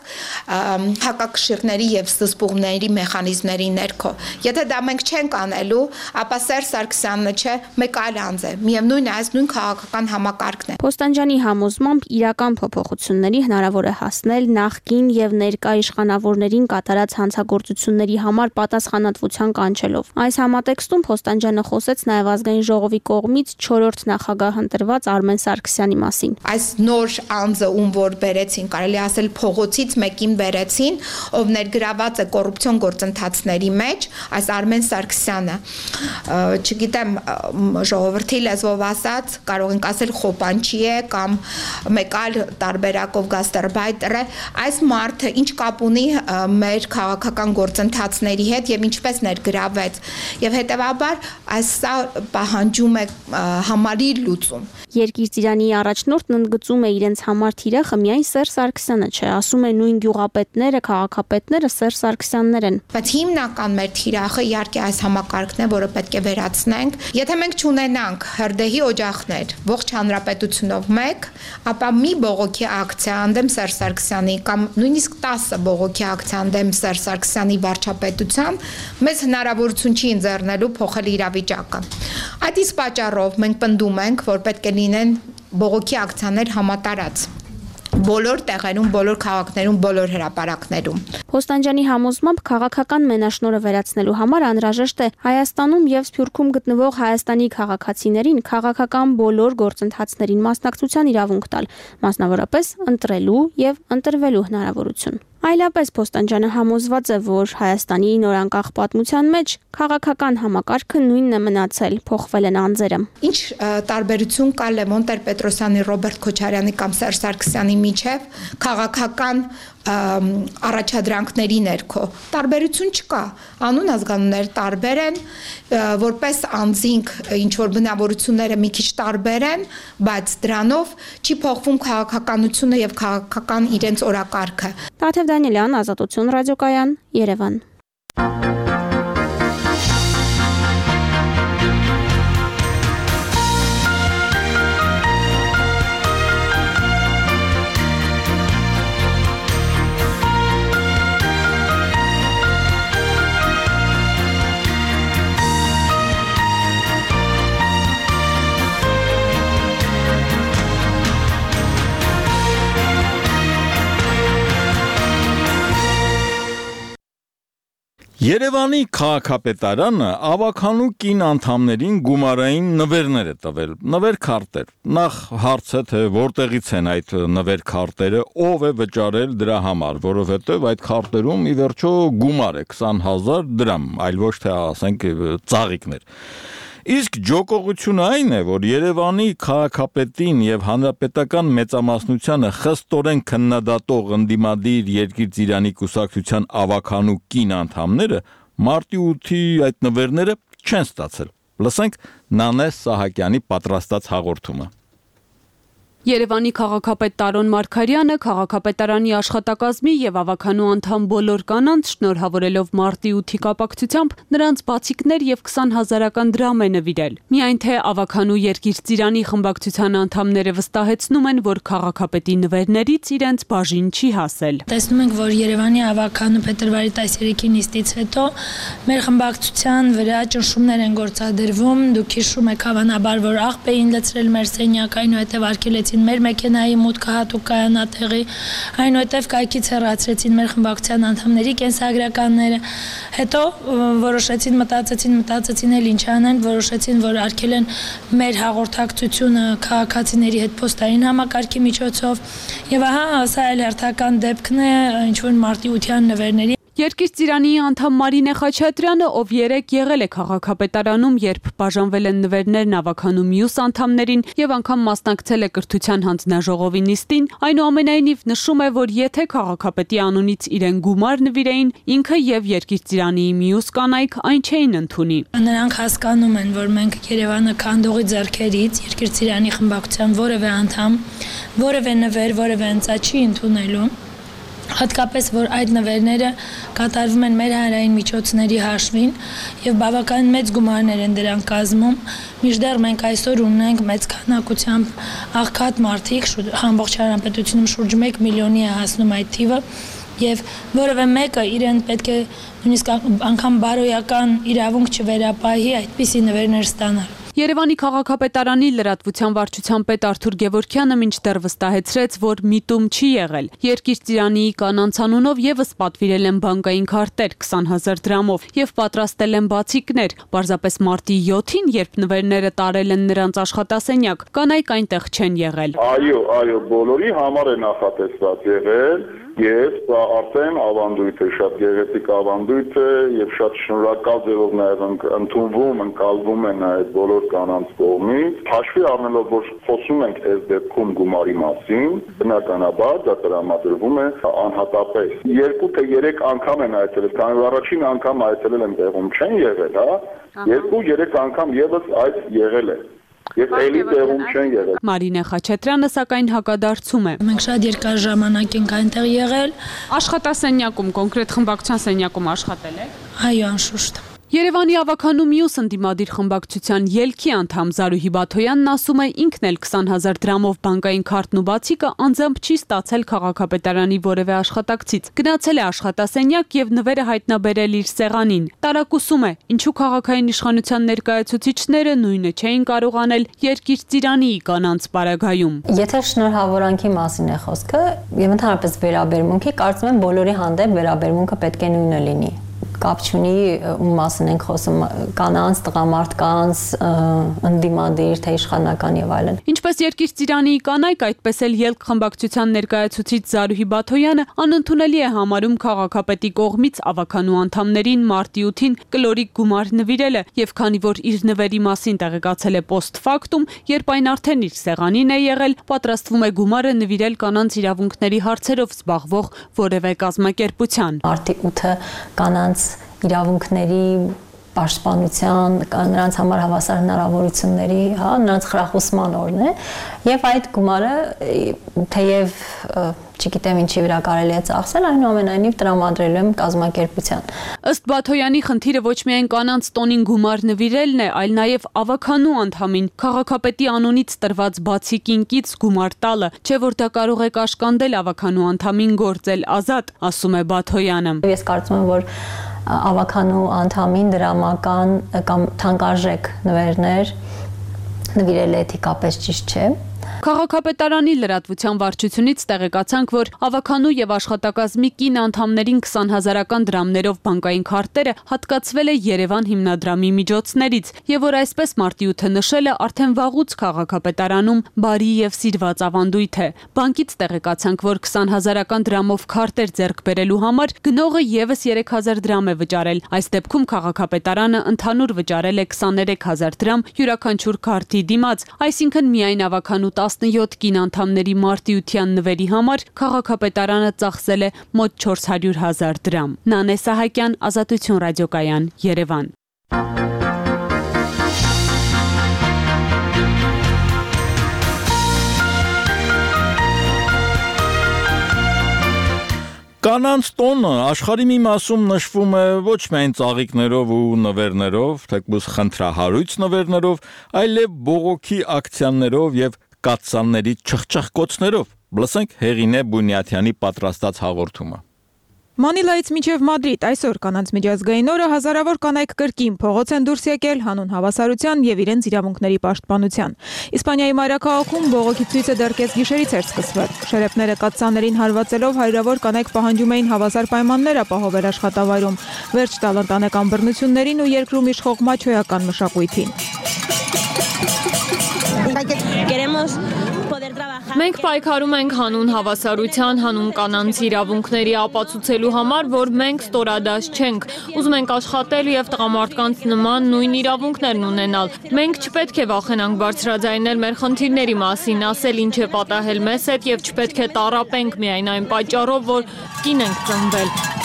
S19: հակակշիռների եւ ստսպողների մեխանիզմների ներքո։ Եթե դա մենք չենք անելու, ապա Սերժ Սարգսյանը չէ, մեկ այլ անձ է։ Միևնույն է, այս նույն քաղաքական համակարգն է։
S18: Փոստանջյանի համոզմամբ իրական փոփոխությունների հնարավոր է հասնել նախկին եւ ներկա իշխանավորներին կատարած հանցագործությունների համար պատասխանատվության կանչելով։ Այս համատեքստում Փոստանջյանը խոսեց նաև ազգային ժողովի կողմից 4-րդ նախագահ ընտրված Արմեն Սարգսյանի մասին։
S19: Այս նոր անձը, ում որ բերեցին, կարելի ասել փողոցից մեկին բերեցին, ով ներգրաված է կոռուպցիոն գործընթացների մեջ, այս Արմեն Սարգսյանը, չգիտեմ, ժողովրդի լեզվով ասած, կարող ենք ասել խոպանչի է կամ մեկ այլ տարբերակով գաստարբայտեր է, այս մարդը ինչ կապ ունի մեր քաղաքական գործընթացների հետ եւ ինչպես ներգրավեց եւ հետեւաբար սա պահանջում է համալիր լուծում։
S18: Երկիր ծիրանի առաջնորդն ընդգծում է իրենց համար թիրախը միայն Սերժ Սարգսյանը չէ, ասում է նույն գյուղապետները, քաղաքապետները Սերժ Սարգսյաններ են։
S19: Բայց հիմնական մեր թիրախը իհարկե այս համակարգն է, որը պետք է վերացնենք։ Եթե մենք չունենանք հրդեհի օջախներ ողջ հանրապետությունով մեկ, ապա մի բողոքի ակցիա անդեմ Սերժ Սարգսյանի կամ նույնիսկ 10 բողոքի ակցիա անդեմ Սերժ Սարգսյանի վարչապետության մեզ հնարավորություն չի ընձեռնելու փոխել իրավիճակը։ Այդ իսկ պատճառով մենք պնդում ենք, որ պետք է լինեն բողոքի ակցիաներ համատարած բոլոր տեղերում, բոլոր քաղաքներում, բոլոր հրապարակներում։
S18: Փոստանջյանի համոզմամբ քաղաքական մենաշնորհը վերացնելու համար անհրաժեշտ է Հայաստանում եւ Սփյուռքում գտնվող Հայաստանի քաղաքացիներին քաղաքական բոլոր գործընթացներին մասնակցության իրավունք տալ, մասնավորապես ընտրելու եւ ընտրվելու հնարավորություն։ Այլապես Փոստանջյանը համոզված է, որ Հայաստանի նորանկախ պատմության մեջ քաղաքական համակարգը նույնն է մնացել, փոխվել են անձերը։
S19: Ինչ տարբերություն կա Լևոն Տեր-Պետրոսյանի, Ռոբերտ Քոչարյանի կամ Սերժ Սարգսյանի միջև քաղաքական առաջադրանքների ներքո տարբերություն չկա, անուն ազգանուններ տարբեր են, որպես անձինք ինչ որ բնավորությունները մի քիչ տարբեր են, բայց դրանով չի փոխվում քաղաքականությունը եւ քաղաքական իրենց օրակարգը։
S18: Տաթև Դանիելյան, Ազատություն ռադիոկայան, Երևան։
S1: Երևանի քաղաքապետարանը ավականու կին անդամներին գումարային նվերներ է տվել, նվեր-քարտեր։ Նախ հարց է, թե որտեղից են այդ նվեր-քարտերը, ով է վճարել դրա համար, որովհետև այդ քարտերում ի վերջո գումար է 20,000 դրամ, այլ ոչ թե ասենք ծաղիկներ։ Իսկ ջոկողությունը այն է, որ Երևանի քաղաքապետին եւ հանրապետական մեծամասնությանը խստորեն քննադատող ընդդիմադիր Երկիր ծիրանի կուսակցության ավականու կին անդամները մարտի 8-ի այդ նվերները չեն ստացել։ Լսենք Նանե Սահակյանի պատրաստած հաղորդումը։
S20: Երևանի քաղաքապետ Տարոն Մարգարյանը քաղաքապետարանի աշխատակազմի եւ ավականու անդամ բոլոր կանանց շնորհավորելով մարտի 8-ի կապակցությամբ նրանց բացիկներ եւ 20,000-ական դրամ է նվիրել։ Միայն թե ավականու Երկիր ծիրանի խմբակցության անդամները վստահեցնում են, որ քաղաքապետի նվերներից իրենց բաժին չի հասել։
S21: Տեսնում ենք, որ Երևանի ավականու փետրվարի 13-ի նիստից հետո մեր խմբակցության վրա ճնշումներ են գործադրվում։ Դուք հիշում եք հավանաբար, որ աղբ էին լցրել մեր սենյակ, այնուհետև արգելեցին մեր մեքենայի մուտքը հատուկ կայանատեղի, այնուհետև կայքից հեռացրեցին մեր խմբակցության անդամների կենսագրականները, հետո մտածեցին էլ ինչ անեն, որոշեցին, որ արգելեն մեր հաղորդակցությունը քաղաքացիների հետ փոստային համակարգի միջոցով, եւ ահա սա էլ հերթական դեպքն է ինչ որ մարտի 8-յան նվերների։
S20: Երկիր ծիրանի անդամ Մարինե Խաչատրյանը, ով երեք եղել է քաղաքապետարանում, երբ բաժանվել են նվերներն ավականու մյուս անդամներին եւ անգամ մասնակցել է կրթության հանձնաժողովի նիստին, այնուամենայնիվ նշում է, որ եթե քաղաքապետի անունից իրեն գումար նվիրեին, ինքը եւ Երկիր ծիրանի մյուս կանայք այն չէին ընդունի։
S21: Նրանք հասկանում են, որ մենք Երևանը քանդողի ձեռքերից Երկիր ծիրանի խմբակցության որևէ անդամ, որևէ նվեր, որևէ ընծա չի ընդունելու։ Հատկապես, որ այդ նվերները կատարվում են մեր հանրային միջոցների հաշվին եւ բավական մեծ գումարներ են դրանք կազմում, մինչդեռ մենք այսօր ունենք մեծ քանակությամբ աղքատ մարդիկ, ամբողջ հանրապետությունում շուրջ 1 միլիոնի է հասնում այդ թիվը եւ որևէ մեկը իրեն պետք է նույնիսկ անգամ բարոյական իրավունք չվերապահի այդպիսի նվերներ ստանալ։
S20: Երևանի քաղաքապետարանի լրատվության վարչության պետ Արթուր Գևորգյանը մինչդեռ վստահեցրեց, որ միտում չի եղել։ Երկիր կանանց անունով եւս պատվիրել են բանկային քարտեր 20,000 դրամով եւ պատրաստել են բացիկներ։ Պարզապես մարտի 7-ին, երբ նվերները տարել են նրանց աշխատասենյակ, կանայք այնտեղ չեն եղել։
S4: Այո, բոլորի համար է նախատեսված եղել եւ սա արդեն ավանդույթ է, շատ գեղեցիկ ավանդույթ է եւ շատ շնորհակալ ձևով նաեւ ընկալվում է նաեւ բոլոր կանանց կողմից։ Հաշվի առնելով, որ խոսում ենք այս դեպքում գումարի մասին, բնականաբար դա տրամադրվում է անհատապես 2 թե 3 անգամ են այցելել, քանի որ առաջին անգամ այցելել են տեղում չեն եղել, հա, 2-3 անգամ եւս այդ եղել է։ Եվ էլի տեղում չեն եղել։
S20: Մարինե Խաչատրյանը սակայն հակադարձում է։
S21: Մենք շատ երկար ժամանակ ենք այնտեղ եղել։
S20: Աշխատասենյակում, կոնկրետ խմբակցության սենյակում աշխատել եք։
S21: Այո, անշուշտ։
S20: Երևանի ավականու մյուս ընդդիմադիր խմբակցության ելքի անդամ Զարուհի Բաթոյանն ասում է ինքն էլ 20,000 դրամով բանկային քարտն ու բացիկը անձամբ չի ստացել քաղաքապետարանի որևէ աշխատակցից։ Գնացել է աշխատասենյակ եւ նվերը հայտնաբերել իր սեղանին։ Տարակուսում է, ինչու քաղաքային իշխանության ներկայացուցիչները նույնը չէին կարող անել Երկիր ծիրանի կանանց պարագայում։
S2: Եթե շնորհավորանքի մասին է խոսքը եւ ընդհանրապես վերաբերմունքի, կարծում եմ բոլորի հանդեպ վերաբերմունքը պետք է նույնը լինի։ Կապ չունի ում մասին ենք խոսում, կանանց, տղամարդկանց, ընդդիմադիր, թե իշխանական եւ այլն։
S20: Ինչպես Երկիր ծիրանի կանայք, այդպես էլ ելք խմբակցության ներկայացուցիչ Զարուհի Բաթոյանը անընդունելի է համարում քաղաքապետի կողմից ավականու անդամներին մարտի 8-ին կլորիկ գումար նվիրելը եւ քանի որ իր նվերի մասին տեղեկացել է post-factum, երբ այն արդեն իր սեղանին է եղել, պատրաստվում է գումարը նվիրել կանանց իրավունքների հարցերով զբաղվող որևէ կազմակերպության։
S2: Մարտի 8-ը կանանց իրավունքների պաշտպանության, նրանց համար հավասար հնարավորությունների, հա, նրանց խրախուսման օրն է, եւ այդ գումարը թեև չգիտեմ ինչի վրա կարելի է ծախսել, այնուամենայնիվ տրամադրելու եմ կազմակերպության։
S20: Ըստ Բաթոյանի խնդիրը ոչ միայն կանանց տոնին գումար նվիրելն է, այլ նաեւ ավականու անդամին քաղաքապետի անունից տրված բացիկին կից գումար տալը, չէ որ դա կարող է կաշկանդել ավականու անդամին գործել ազատ, ասում է Բաթոյանը։
S2: Ես կարծում եմ, որ ավականու անդամին դրամական կամ թանկարժեք նվերներ նվիրելը էթիկապես ճիշտ չէ։
S20: Քաղաքապետարանի լրատվության վարչությունից տեղեկացանք, որ ավականու եւ աշխատակազմի կին անդամներին 20,000-ական դրամներով բանկային քարտերը հատկացվել է Երևան հիմնադրամի միջոցներից եւ որ այսպես մարտի 8-ը նշելը արդեն վաղուց քաղաքապետարանում բարի եւ սիրված ավանդույթ է։ Բանկից տեղեկացանք, որ 20,000-ական դրամով քարտեր ձեռք բերելու համար գնողը եւս 3,000 դրամ է վճարել։ Այս դեպքում քաղաքապետարանը ընդհանուր վճարել է 23,000 դրամ յուրաքանչյուր քարտի դիմաց, այսինքն միայն ավականու 17 կին անդամների մարտիության նվերի համար քաղաքապետարանը ծախսել է մոտ 400,000 դրամ։ Նանե Սահակյան, Ազատություն ռադիոկայան, Երևան։
S1: Կանանց տոնը աշխարհի մի մասում նշվում է ոչ միայն ծաղիկներով ու նվերներով, թեկուզ խնդրահարույց նվերներով, այլև բողոքի ակցիաներով եւ կաթսանների չխչխկոցներով։ Լսենք Հեղինե Բունյաթյանի պատրաստած հաղորդումը։
S22: Մանիլայից մինչև Մադրիդ այսօր կանանց միջազգային օրը հազարավոր կանայք կրկին փողոց են դուրս եկել հանուն հավասարության եւ իրենց իրավունքների պաշտպանության։ Իսպանիայի մայրաքաղաքում բողոքի ցույցը դեռ կեսգիշերից էր սկսվել։ Շերեփները կաթսաներին հարվածելով հարյուրավոր կանայք պահանջում էին հավասար պայմաններ ապահովել աշխատավայրում, վերջ տալ ընտանեկան բռնություններին ու երկրում իշխող մաչոյական մշակույթին։
S23: Մենք պայքարում ենք հանուն հավասարության, հանուն կանանց իրավունքների ապացուցելու համար, որ մենք ստորադաս չենք, ուզում ենք աշխատել եւ տղամարդկանց նման նույն իրավունքներն ունենալ։ Մենք չպետք է վախենանք բարձրաձայնել մեր խնդիրների մասին, ասել ինչ է պատահել մեզ հետ եւ չպետք է տառապենք միայն այն պատճառով, որ կին ենք ծնվել։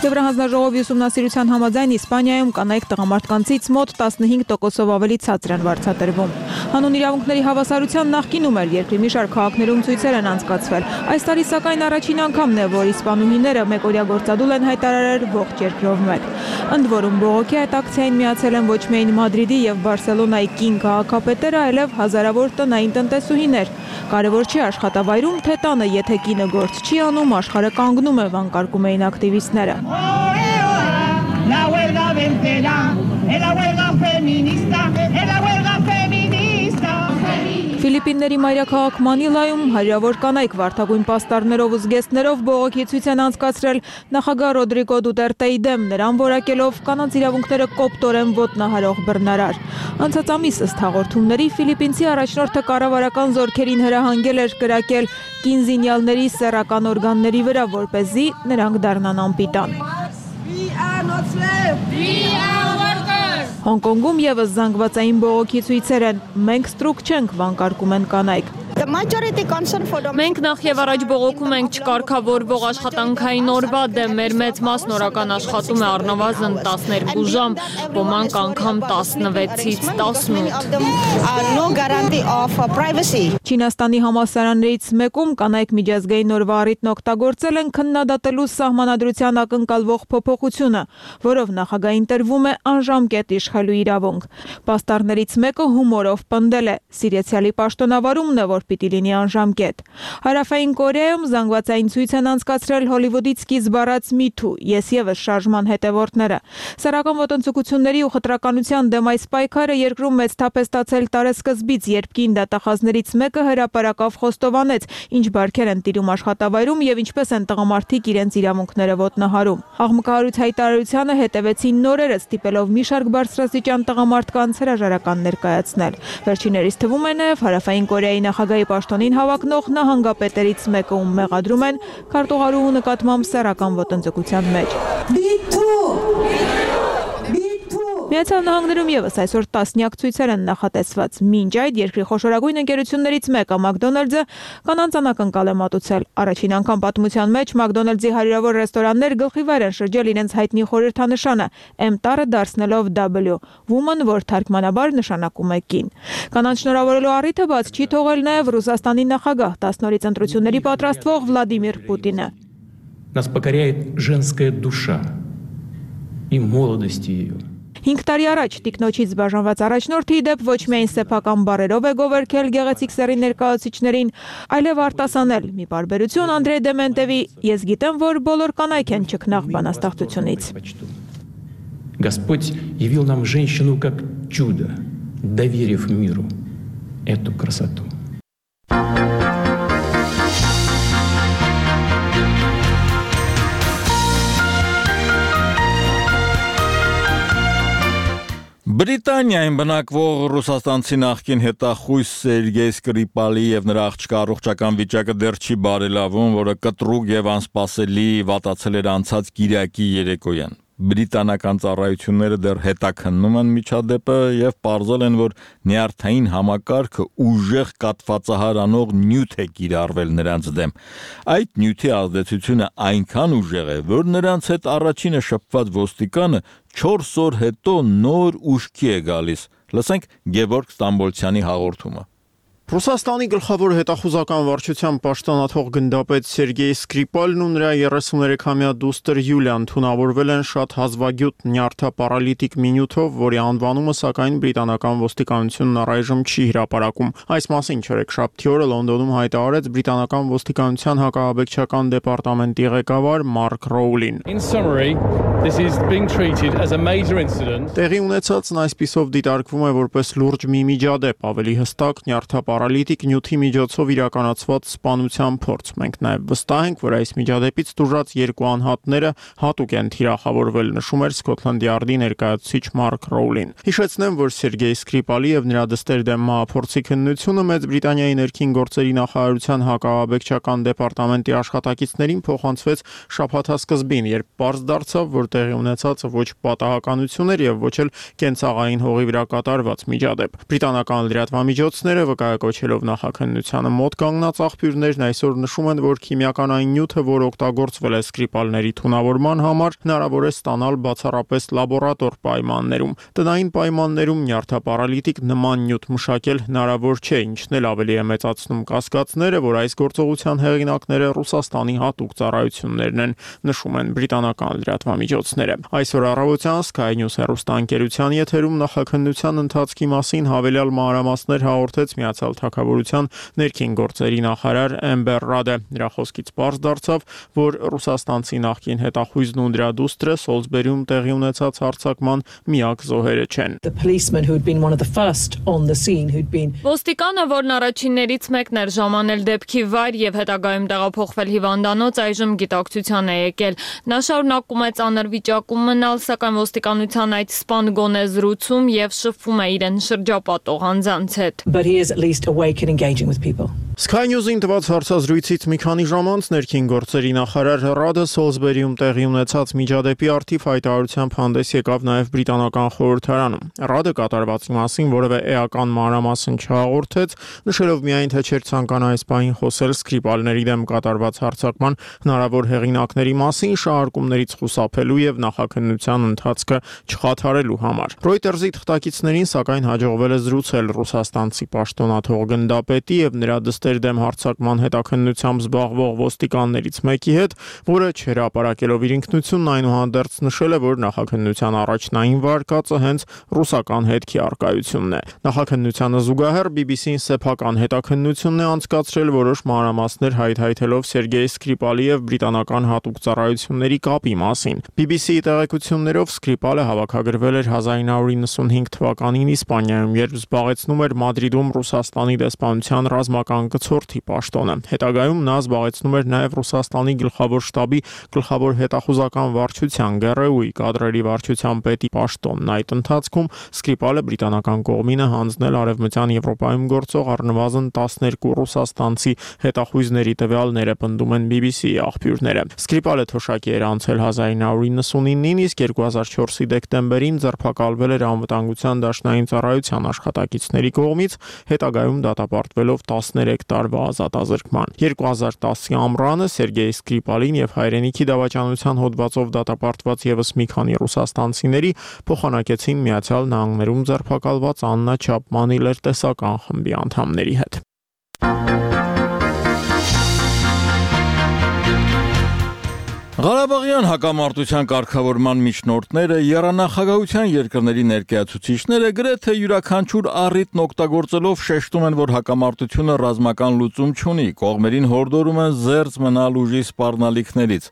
S22: Եվրահանձնաժողովի ուսումնասիրության համաձայն Իսպանիայում կանայք տղամարդկանցից մոտ 15%-ով ավելի ցածր են վարձատրվում։ Հանուն իրավունքների հավասարության նախկինում էլ երկրի մի շարք քաղաքներում ցույցեր են անցկացվել։ Այս տարի սակայն առաջին անգամն է, որ իսպանուհիները մեկօրյա գործադուլ են հայտարարել ողջ երկրով մեկ։ Ընդ որում բողոքի այդ ակցիային միացել են ոչ միայն Մադրիդի եւ Բարսելոնայի կին քաղաքապետերը, այլև հազարավոր տնային տնտեսուհիներ։ Կարևոր չի աշխատավայրում, թե տանը, եթե կինը գործ չի անում, աշխարհը կանգնում է, վանկարկում էին ակտիվիստները։
S24: La huelga vencerá, es la huelga feminista, es la huelga feminista.
S22: Ֆիլիպինների մայրաքաղաք Մանիլայում հարյուրավոր կանայք վարդագույն պաստառներով ու զգեստներով բողոքի ցույց են անցկացրել նախագահ Ռոդրիգո Դուտերտեի դեմ, նրան որակելով կանանց իրավունքները կոպտորեն ոտնահարող բռնարար։ Անցած ամիս ըստ հաղորդումների Ֆիլիպինցի առաջնորդը կառավարական զորքերին հրահանգել էր կրակել կին զինյալների սեռական օրգանների վրա, որպեսզի նրանք դառնան անպիտան։ Հոնկոնգում եւս զանգվածային բողոքի ցույցեր են։ Մենք ստրուկ չենք, վանկարկում են կանայք։
S23: Մենք նախ եւ առաջ բողոքում ենք չկարգավորվող աշխատանքային օրվա դեմ, մեր մեծ մասն օրական աշխատում է առնվազն 12 ժամ, ոմանք անգամ 16-ից 18։
S22: Չինաստանի համալսարաններից մեկում կանայք միջազգային օրվա առիթն օգտագործել են քննադատելու սահմանադրության ակնկալվող փոփոխությունը, որով նախագահին տրվում է անժամկետ իշխելու իրավունք։ Պաստառներից մեկը հումորով պնդել է. Սիրիացիալի պաշտոնավարումն է, որ պիտի լինի անժամկետ։ Հարավային Կորեայում զանգվածային ցույց են անցկացրել Հոլիվուդից սկիզբ առած Me Too, ես եւս շարժման հետևորդները։ Սեռական ոտնձգությունների ու խտրականության դեմ այս պայքարը երկրում մեծ թափ է ստացել տարեսկզբից, երբ կին դատախազներից մեկը հրապարակավ խոստովանեց, ինչ բարքեր են տիրում աշխատավայրում եւ ինչպես են տղամարդիկ իրենց իրավունքները ոտնահարում։ Աղմկահարույց հայտարարությանը հետևեցին նորերը, ստիպելով մի շարք բարձրաստիճան տղամարդկանց հրաժարական ներկայացնել։ Վերջիներիս թվում է նաեւ Հարավային Կորեայի նախագահի պաշտոնին հավակնող նահանգապետերից մեկը, ում մեղադրում են քարտուղարուհու նկատմամբ սեռական ոտնձգության մեջ։ Միացյալ Նահանգներում եւս այսօր տասնյակ ցույցեր են նախատեսված։ Մինչ այդ երկրի խոշորագույն ընկերություններից մեկը Մակդոնալդսը կանանց անակնկալ է մատուցել։ Առաջին անգամ պատմության մեջ Մակդոնալդսի հարյուրավոր ռեստորաններ գլխիվայր են շրջել իրենց հայտնի խորհրդանշանը M տառը դարձնելով W, woman, որ թարգմանաբար նշանակում է կին։ Կանանց շնորհավորելու առիթը բաց չի թողել նաեւ Ռուսաստանի նախագահ 10 նորից ընտրությունների պատրաստվող Վլադիմիր Պուտինը։
S3: Нас покоряет женская душа и молодость ее.
S22: 5 տարի առաջ տիկնոջից բաժանված առաջնորդը ի դեպ ոչ միայն սեփական բարերով է գովերքել գեղեցիկ սեռի ներկայացուցիչներին, այլև արտասանել մի բարբերություն Անդրեյ Դեմենտևի «Ես գիտեմ, որ բոլոր կանայք են ճգնաղ բանաստեղծությունից»։
S3: Господь явил нам женщину как чудо, доверив миру эту красоту.
S1: Բրիտանիայում բնակվող ռուսաստանցի նախկին հետախույս Սերգեյ Սկրիպալի եւ նրա աղջկա առողջական վիճակը դեռ չի բարելավում, որը կտրուկ եւ անսպասելի վատացել էր անցած կիրակի երեկոյան։ Բրիտանական ծառայությունները դեռ հետաքննում են միջադեպը եւ պարզել են, որ նյարդային համակարգը ուժեղ կաթվածահարանող նյութ է կիրառվել նրանց դեմ։ Այդ նյութի ազդեցությունը այնքան ուժեղ է, որ նրանց հետ առաջինը շփված ոստիկանը 4 օր հետո նոր ուշքի է գալիս։ Լսենք Գևորգ Ստամբոլցյանի հաղորդումը։
S7: Ռուսաստանի գլխավոր հետախուզական վարչության պաշտոնաթող գնդապետ Սերգեյ Սկրիպալն ու նրա 33-ամյա դուստր Յուլիան թունավորվել են շատ հազվագյուտ նյարդապարալիտիկ մինյութով, որի անվանումը սակայն բրիտանական ոստիկանությունն առայժմ չի հրապարակում։ Այս մասին չորեքշաբթի օրը Լոնդոնում հայտարարեց բրիտանական ոստիկանության հակահաբեկչական դեպարտամենտի ղեկավար Մարկ Ռոուլին։ Տեղի ունեցածն այսպիսով դիտարկվում է որպես լուրջ մի միջադեպ, ավելի հստակ նյարդապարալիտիկ նյութի միջոցով իրականացված սպանության փորձ։ Մենք նաև վստահ ենք, որ այս միջադեպից տուժած երկու անհատները հատուկ են թիրախավորվել, նշում էր Սքոթլանդ Յարդի ներկայացուցիչ Մարկ Ռոուլին։ Հիշեցնեմ, որ Սերգեյ Սկրիպալի եւ նրա դստեր դեմ մահափորձի քննությունը Մեծ Բրիտանիայի ներքին գործերի նախարարության հակահաբեկչական դեպարտամենտի աշխատակիցներին փոխանցվեց շաբաթասկզբին, երբ պարզ դարձավ, որ տեղի ունեցածը ոչ պատահականություն էր եւ ոչ էլ կենցաղային հողի վրա կատարված միջադեպ։ Բրիտանական լրատվամիջոցները վկայակոչելով նախաքննությանը մոտ կանգնած աղբյուրներն այսօր նշում են, որ քիմիականային նյութը, որ օգտագործվել է Սկրիպալների թունավորման համար, հնարավոր է ստանալ բացառապես լաբորատոր պայմաններում։ Տնային պայմաններում նյարդապարալիտիկ նման նյութ մշակել հնարավոր չէ, ինչն էլ ավելի է մեծացնում կասկածները, որ այս գործողության հեղինակները Ռուսաստանի հատուկ ծառայություններն են, նշում են բրիտանական լրատվամիջոցները։ Այսօր առավոտյան Sky News հեռուստաընկերության եթերում նախաքննության ընթացքի մասին հավելյալ մանրամասներ հաղորդեց Միացյալ թագավորության ներքին գործերի նախարար Էմբեր Ռադը։ Նրա խոսքից պարզ դարձավ, որ ռուսաստանցի նախկին հետախույզն ու նրա դուստրը Սոլսբերիում տեղի ունեցած հարձակման միակ զոհերը չեն։
S23: Ոստիկանը, որն առաջիններից մեկն էր ժամանել դեպքի վայր եւ հետագայում տեղափոխվել հիվանդանոց, այժմ գիտակցության է եկել։ Նա շարունակում է ծանր վիճակում մնալ, սակայն ոստիկանության այդ սպան գոնե զրուցում եւ շփվում է իրեն շրջապատող անձանց հետ։
S7: Sky News-ին տված հարցազրույցից մի քանի ժամ անց ներքին գործերի նախարար Ռադը Սոլսբերիում տեղի ունեցած միջադեպի արդիվ հայտարարությամբ հանդես եկավ նաև բրիտանական խորհրդարանում։ Ռադը կատարվածի մասին որևէ էական մանրամասն չհաղորդեց, նշելով միայն, թե չէր ցանկանա այս պահին խոսել Սկրիպալների դեմ կատարված հարձակման հնարավոր հեղինակների մասին, շահարկումներից խուսափելու եւ նախաքննության ընթացքը չխաթարելու համար։ Reuters-ի թղթակիցներին սակայն հաջողվել է զրուցել ռուսաստանցի պաշտոնաթող գնդապետի եւ նրա դստեր դեմ հարձակման հետաքննությամբ զբաղվող ոստիկաններից մեկի հետ, որը չհրապարակելով իր ինքնությունն այնուհանդերձ նշել է, որ նախաքննության առաջնային վարկածը հենց ռուսական հետքի առկայությունն է։ Նախաքննությանը զուգահեռ BBC-ն սեփական հետաքննությունն է անցկացրել որոշ մանրամասներ հայթայթելով Սերգեյ Սկրիպալի եւ բրիտանական հատուկ ծառայությունների կապի մասին։ BBC-ի տեղեկություններով Սկրիպալը հավաքագրվել էր 1995 թվականին Իսպանիայում, երբ զբաղեցնում էր Մադրիդում Ռուսաստանի դեսպանության ռազմական գծորդի պաշտոնը։ Հետագայում նա զբաղեցնում էր նաև Ռուսաստանի գլխավոր շտաբի գլխավոր հետախուզական վարչության ԳՌՈ-ի կադրերի վարչության պետի պաշտոնն։ Այդ ընթացքում Սկրիպալը բրիտանական կողմինը հանձնել Արևմտյան Եվրոպայում գործող առնվազն 12 ռուսաստանցի հետախույզների տվյալները, պնդում են BBC-ի աղբյուրները։ Սկրիպալը թոշակի էր անցել 1999-ին, իսկ 2004-ի դեկտեմբերին ձերբակալվել էր անվտանգության դաշնային ծառայության աշխատակիցների կողմից, հետագայում դատապարտվելով 13 տարվա ազատազրկման։ 2010-ի ամռանը Սերգեյ Սկրիպալին եւ հայրենիքի դավաճանության հոդվածով դատապարտված եւս մի քանի ռուսաստանցիների փոխանակեցին Միացյալ Նահանգներում ձերբակալված Աննա Չապմանի լրտեսական խմբի անդամների հետ։
S1: Ղարաբաղյան հակամարտության կարգավորման միջնորդները, եռանախագահության երկրների ներկայացուցիչները գրեթե յուրաքանչյուր առիթն օգտագործելով շեշտում են, որ հակամարտությունը ռազմական լուծում չունի, կողմերին հորդորում են զերծ մնալ ուժի սպառնալիքներից։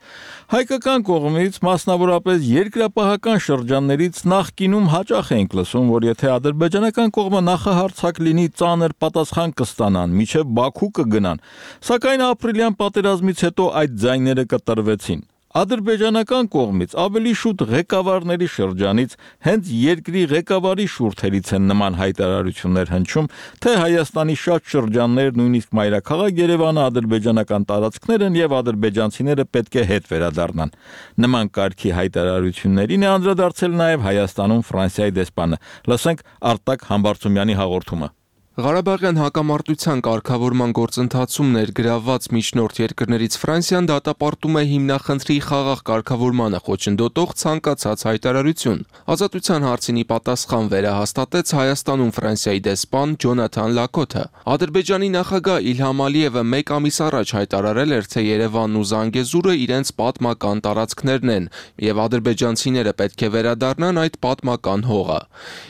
S1: Հայկական կողմից, մասնավորապես երկրապահական շրջաններից նախկինում հաճախ ենք լսում, որ եթե ադրբեջանական կողմը նախահարձակ լինի, ծանր պատասխան կստանան, մինչև Բաքու կգնան, սակայն ապրիլյան պատերազմից հետո այդ ձայները կտրվեցին։ Ադրբեջանական կողմից ավելի շուտ ղեկավարների շրջանից հենց երկրի ղեկավարի շուրթերից են նման հայտարարություններ հնչում, թե Հայաստանի շատ շրջաններ, նույնիսկ մայրաքաղաք Երևանը ադրբեջանական տարածքներ են եւ ադրբեջանցիները պետք է հետ վերադառնան։ Նման կարգի հայտարարություններին է անդրադարձել նաեւ Հայաստանում Ֆրանսիայի դեսպանը։ Լսենք Արտակ Համբարձումյանի հաղորդումը։
S6: Ղարաբաղյան հակամարտության կարգավորման գործընթացում ներգրավված միջնորդ երկրներից Ֆրանսիան դատապարտում է հիմնախնդրի խաղաղ կարգավորմանը խոչընդոտող ցանկացած հայտարարություն։ Ազատության հարցինի պատասխան վերահաստատեց Հայաստանում Ֆրանսիայի դեսպան Ջոնաթան Լակոթը։ Ադրբեջանի նախագահ Իլհամ Ալիևը մեկ ամիս առաջ հայտարարել էր, թե Երևանն ու Զանգեզուրը իրենց պատմական տարածքներն են, եւ ադրբեջանցիները պետք է վերադառնան այդ պատմական հողը։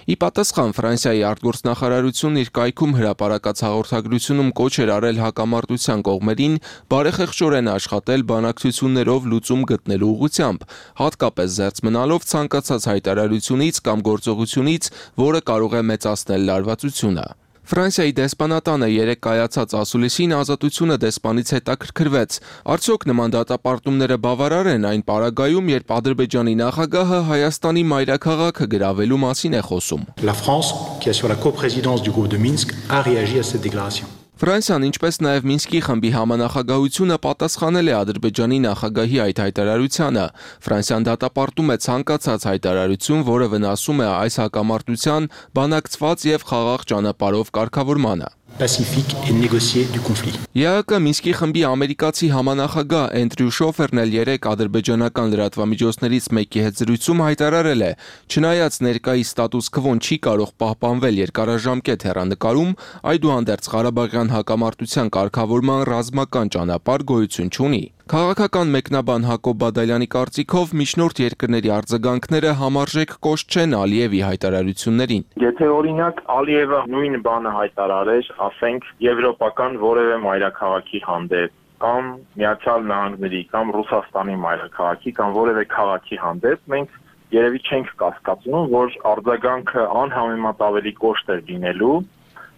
S6: Ի պատասխան Ֆրանսիայի արտգործնախարարությունն իր կայքում հրապարակած հաղորդագրությունում կոչ էր արել հակամարտության կողմերին բարեխեղճորեն աշխատել բանակցություններով լուծում գտնելու ուղղությամբ, հատկապես զերծ մնալով ցանկացած հայտարարությունից կամ գործողությունից, որը կարող է մեծացնել լարվածությունը։ Ֆրանսիայի դեսպանատանը երեկ կայացած ասուլիսին Ազատությունը դեսպանից հետաքրքրվեց. Արդյոք նման դատապարտումները բավարար են այն պարագայում, երբ Ադրբեջանի նախագահը Հայաստանի մայրաքաղաքը գրավելու մասին է խոսում։
S8: La France, qui assure la coprésidence du groupe de Minsk, a réagi à cette déclaration.
S6: Ֆրանսիան, ինչպես նաև Մինսկի խմբի համանախագահությունը պատասխանել է Ադրբեջանի նախագահի այդ հայտարարությանը։ Ֆրանսիան դատապարտում է ցանկացած հայտարարություն, որը վնասում է այս հակամարտության բանակցված եւ խաղաղ ճանապարհով կարգավորմանը։
S8: Pacifique et négocié du conflit.
S6: ԵԱԿ Մինսկի խմբի ամերիկացի համանախագահ Էնդրյու Շոֆերն էլ երեկ ադրբեջանական լրատվամիջոցներից մեկի հետ զրույցում հայտարարել է. չնայած ներկայիս ստատուս քվոն չի կարող պահպանվել երկարաժամկետ հեռանկարում, այդուհանդերձ Ղարաբաղյան հակամարտության կարգավորման ռազմական ճանապարհ գոյություն չունի։ Քաղաքական մեկնաբան Հակոբ Բադալյանի կարծիքով միջնորդ երկրների արձագանքները համարժեք կոշտ չեն Ալիևի հայտարարություններին։
S5: Եթե օրինակ Ալիևը նույն բանը հայտարարեր, ասենք եվրոպական որևէ մայրաքաղաքի հանդեպ, կամ Միացյալ Նահանգների, կամ Ռուսաստանի մայրաքաղաքի, կամ որևէ քաղաքի հանդեպ, մենք երևի չենք կասկածում, որ արձագանքը անհամեմատ ավելի կոշտ էր լինելու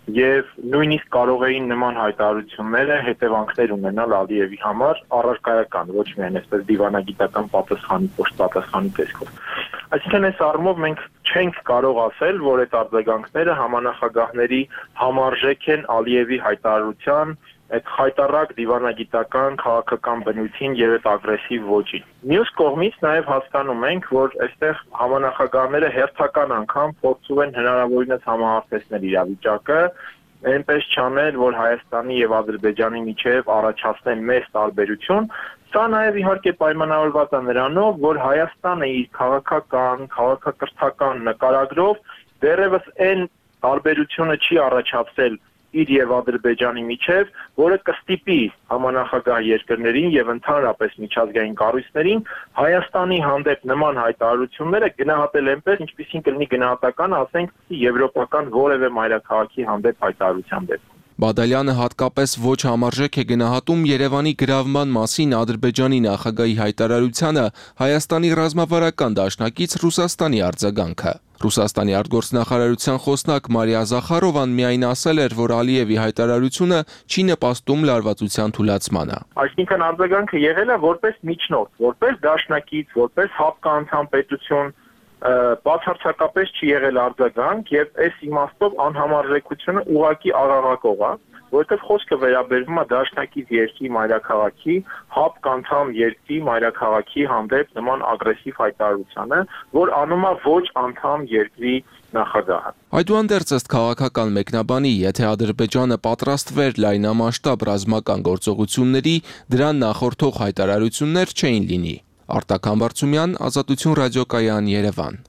S5: եւ նույնիսկ կարող էին նման հայտարարությունները հետևանքներ ունենալ Ալիևի համար առարկայական, ոչ միայն այսպես դիվանագիտական պատասխանի, կոշտ պատասխանի տեսքով։ Այսինքն այս առումով մենք չենք կարող ասել, որ այդ արձագանքները համանախագահների համարժեք են Ալիևի հայտարարության այդ խայտառակ դիվանագիտական քաղաքական բնույթին եւ այդ ագրեսիվ ոճին։ Մյուս կողմից նաեւ հասկանում ենք, որ այստեղ համանախագահները հերթական անգամ փորձում են հնարավորինս համահարցնել իրավիճակը, այնպես չանել, որ Հայաստանի եւ Ադրբեջանի միջեւ առաջացնեն մեծ տարբերություն։ Սա նաեւ իհարկե պայմանավորված է նրանով, որ Հայաստանը իր քաղաքական, քաղաքակրթական նկարագրով դեռևս այն տարբերությունը չի առաջացել իր եւ Ադրբեջանի միջև, որը կստիպի համանախագահ երկրներին եւ ընդհանրապես միջազգային կառույցներին Հայաստանի հանդեպ նման հայտարարությունները գնահատել այնպես, ինչպիսին կլինի գնահատական, ասենք, եվրոպական որևէ մայրաքաղաքի հանդեպ հայտարարության դեպքում։
S6: Բադալյանը հատկապես ոչ համարժեք է գնահատում Երևանի գրավման մասին Ադրբեջանի նախագահի հայտարարությանը Հայաստանի ռազմավարական դաշնակից Ռուսաստանի արձագանքը։ Ռուսաստանի արտգործնախարարության խոսնակ Մարիա Զախարովան միայն ասել էր, որ Ալիևի հայտարարությունը չի նպաստում լարվածության թուլացմանը։
S5: Այսինքն արձագանքը եղել է որպես միջնորդ, որպես դաշնակից, որպես հապկանցան պետություն, բացարձակապես չի եղել արձագանք եւ այս իմաստով անհամարժեքությունը ուղղակի աղաղակող է, որովհետեւ խոսքը վերաբերվում է դաշնակից երկրի մայրաքաղաքի, հապկանցան երկրի մայրաքաղաքի հանդեպ նման ագրեսիվ հայտարարությանը, որ անում է ոչ անդամ երկրի նախագահը։
S6: Այդուհանդերձ ըստ քաղաքական մեկնաբանի, եթե Ադրբեջանը պատրաստվեր լայնամասշտաբ ռազմական գործողությունների, դրան նախորդող հայտարարություններ չէին լինի։ Արտակ Համբարձումյան, Ազատություն ռադիոկայան, Երևան։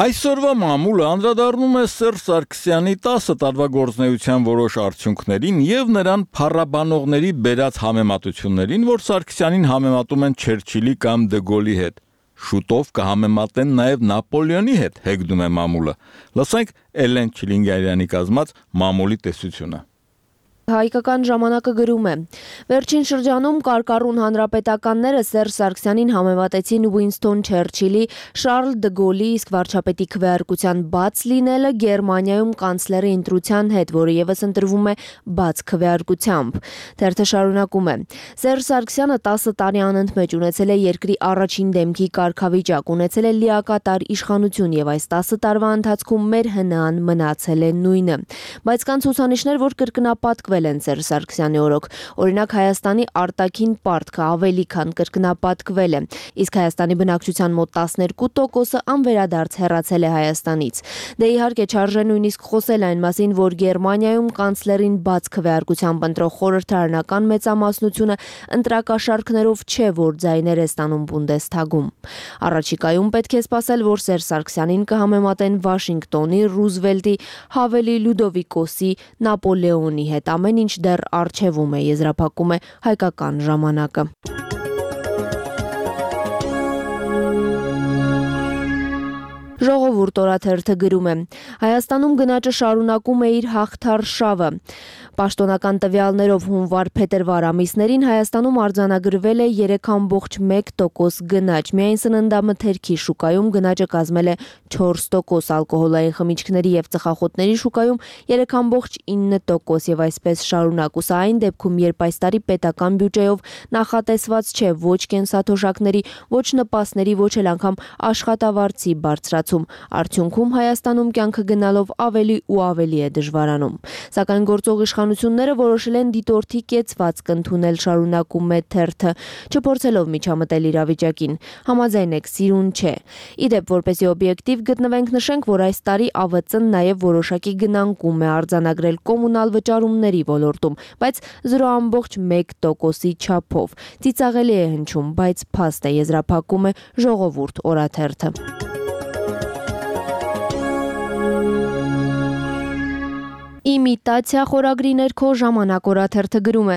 S1: Այսօրվա մամուլը անդրադառնում է Սերժ Սարգսյանի 10 տարվա գործունեության որոշ արդյունքներին եւ նրան փառաբանողների բերած համեմատություններին, որ Սարգսյանին համեմատում են Չերչիլի կամ Դե Գոլի հետ։ Շուտով կհամեմատեն նաեւ Նապոլեոնի հետ, հեգնում է մամուլը։ Լսենք Էլեն Չիլինգարյանի կազմած մամուլի տեսությունը։
S9: Հայկական ժամանակը գրում է. Վերջին շրջանում կարկառուն հանրապետականները Սերժ Սարգսյանին համեմատեցին Ուինստոն Չերչիլի, Շարլ Դե Գոլի, իսկ վարչապետի քվեարկության բաց լինելը Գերմանիայում կանցլերի ընտրության հետ, որը եւս ընտրվում է բաց քվեարկությամբ։ Թերթը շարունակում է. Սերժ Սարգսյանը 10 տարի անընդմեջ ունեցել է երկրի առաջին դեմքի կարգավիճակ, ունեցել է լիակատար իշխանություն եւ այս 10 տարվա ընթացքում մեր հնան մնացել է նույնը։ Բայց կան ցուցանիշներ, որ կրկնապատկվել են Սերժ Սարգսյանի օրոք։ Օրինակ Հայաստանի արտաքին պարտքը ավելի քան կրկնապատկվել է, իսկ Հայաստանի բնակչության մոտ 12%-ը անվերադարձ հեռացել է Հայաստանից։ Դե իհարկե չարժե նույնիսկ խոսել այն մասին, որ Գերմանիայում կանցլերին բաց քվեարկությամբ ընտրող խորհրդարանական մեծամասնությունը ընտրակաշարքներով չէ, որ ձայներ է ստանում Բունդեսթագում։ Առաջիկայում պետք է սպասել, որ Սերժ Սարգսյանին կհամեմատեն Վաշինգտոնի, Ռուզվելտի, Հավելի Լյուդովիկոսի, Նապոլեոնի հետ։ Ամեն ինչ դեռ առջևում է, եզրափակում է Հայկական ժամանակը։ Ժողովուրդ օրաթերթը գրում է. Հայաստանում գնաճը շարունակում է իր հաղթար շավը։ Պաշտոնական տվյալներով հունվար-փետրվար ամիսներին Հայաստանում արձանագրվել է 3.1% գնաճ։ Միայն սննդամթերքի շուկայում գնաճը կազմել է 4%, ալկոհոլային խմիչքների եւ ծխախոտների շուկայում 3.9% եւ այսպես շարունակ։ Ու սա այն դեպքում, երբ այս տարի պետական բյուջեով նախատեսված չէ ոչ կենսաթոշակների, ոչ նպաստների, ոչ էլ անգամ աշխատավարձի բարձրացում։ Արդյունքում Հայաստանում կյանքը գնալով ավելի ու ավելի է դժվարանում։ Սակայն գործող իշխանությունները որոշել են դիտորդի կեցվածք ընդունել, շարունակում է թերթը, չփորձելով միջամտել իրավիճակին։ Համաձայն եք, սիրուն չէ։ Իդեպ, որպեսզի օբյեկտիվ գտնվենք, նշենք, որ այս տարի ԱՎԾ-ն նաև որոշակի գնանկում է արձանագրել կոմունալ վճարումների ոլորտում, բայց 0.1%-ի չափով։ Ծիծաղելի է հնչում, բայց փաստ է, եզրափակում է Ժողովուրդ օրաթերթը։ Իմիտացիա խորագրի ներքո Ժամանակ օրաթերթը գրում է.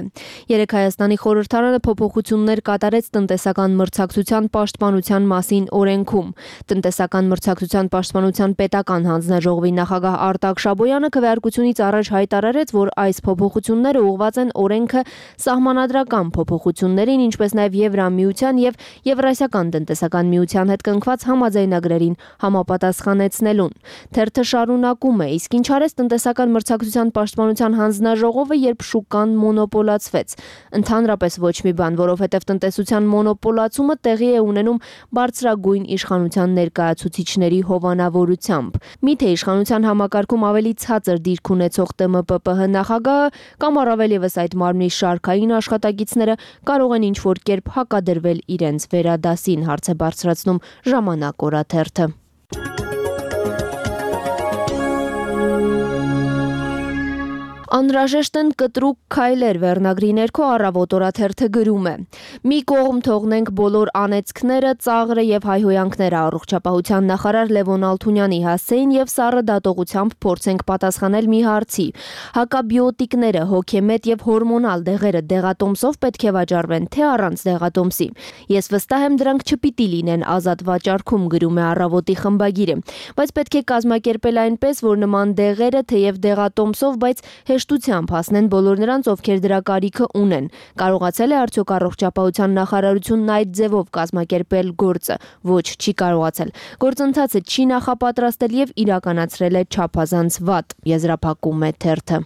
S9: Երեկ Հայաստանի խորհրդարանը փոփոխություններ կատարեց տնտեսական մրցակցության պաշտպանության մասին օրենքում։ Տնտեսական մրցակցության պաշտպանության պետական հանձնաժողովի նախագահ Արտակ Շաբոյանը քվեարկությունից առաջ հայտարարեց, որ այս փոփոխությունները ուղղված են օրենքը սահմանադրական փոփոխություններին, ինչպես նաև Եվրամիության եւ Եվրասիական տնտեսական միության հետ կնքված համաձայնագրերին համապատասխանեցնելուն։ Թերթը շարունակում է. իսկ ինչ արեց տնտեսական մրցակցության պաշտպանության հանձնաժողովը, երբ շուկան մոնոպոլացվեց։ Ընդհանրապես ոչ մի բան, որովհետև տնտեսության մոնոպոլացումը տեղի է ունենում բարձրագույն իշխանության ներկայացուցիչների հովանավորությամբ։ Միթե իշխանության համակարգում ավելի ցածր դիրք ունեցող ՏՄՊՊՀ նախագահը կամ առավել ևս այդ մարմնի շարքային աշխատակիցները կարող են ինչ-որ կերպ հակադրվել իրենց վերադասին, հարց է բարձրացնում Ժամանակ օրաթերթը։ Անհրաժեշտ են կտրուկ քայլեր վերնագրի ներքո Առավոտ օրաթերթը գրում է. Մի կողմ թողնենք բոլոր անեծքները, ծաղրը եւ հայհոյանքները, առողջապահության նախարար Լևոն Ալթունյանի հասցեին եւ սառը դատողությամբ փորձենք պատասխանել մի հարցի. հակաբիոտիկները, հոգեմետ եւ հորմոնալ դեղերը դեղատոմսով պետք է վաճառվեն, թե առանց դեղատոմսի։ Ես վստահ եմ, դրանք չպիտի լինեն ազատ վաճառքում, գրում է Առավոտի խմբագիրը, բայց պետք է կազմակերպել այնպես, որ նման դեղերը թեև դեղատոմսով, բայց հեշտությամբ հասնեն բոլոր նրանց, ովքեր դրա կարիքը ունեն։ Կարողացել է արդյոք առողջապահության նախարարությունն այդ ձևով կազմակերպել գործը։ Ոչ, չի կարողացել։ Գործընթացը չի նախապատրաստել եւ իրականացրել է չափազանց վատ, եզրափակում է թերթը։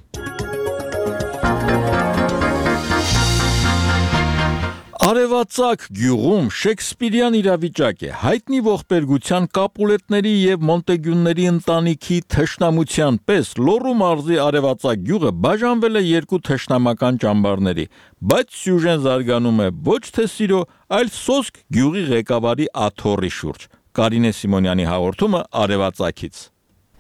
S1: Արևածագ գյուղում շեքսպիրյան իրավիճակ է, հայտնի ողբերգության Կապուլետների եւ Մոնտեգյունների ընտանիքի թշնամության պես Լոռու մարզի Արևածագ գյուղը բաժանվել է երկու թշնամական ճամբարների, բայց սյուժեն զարգանում է ոչ թե սիրո, այլ սոսկ գյուղի ղեկավարի աթոռի շուրջ։ Կարինե Սիմոնյանի հաղորդումը Արևածագից։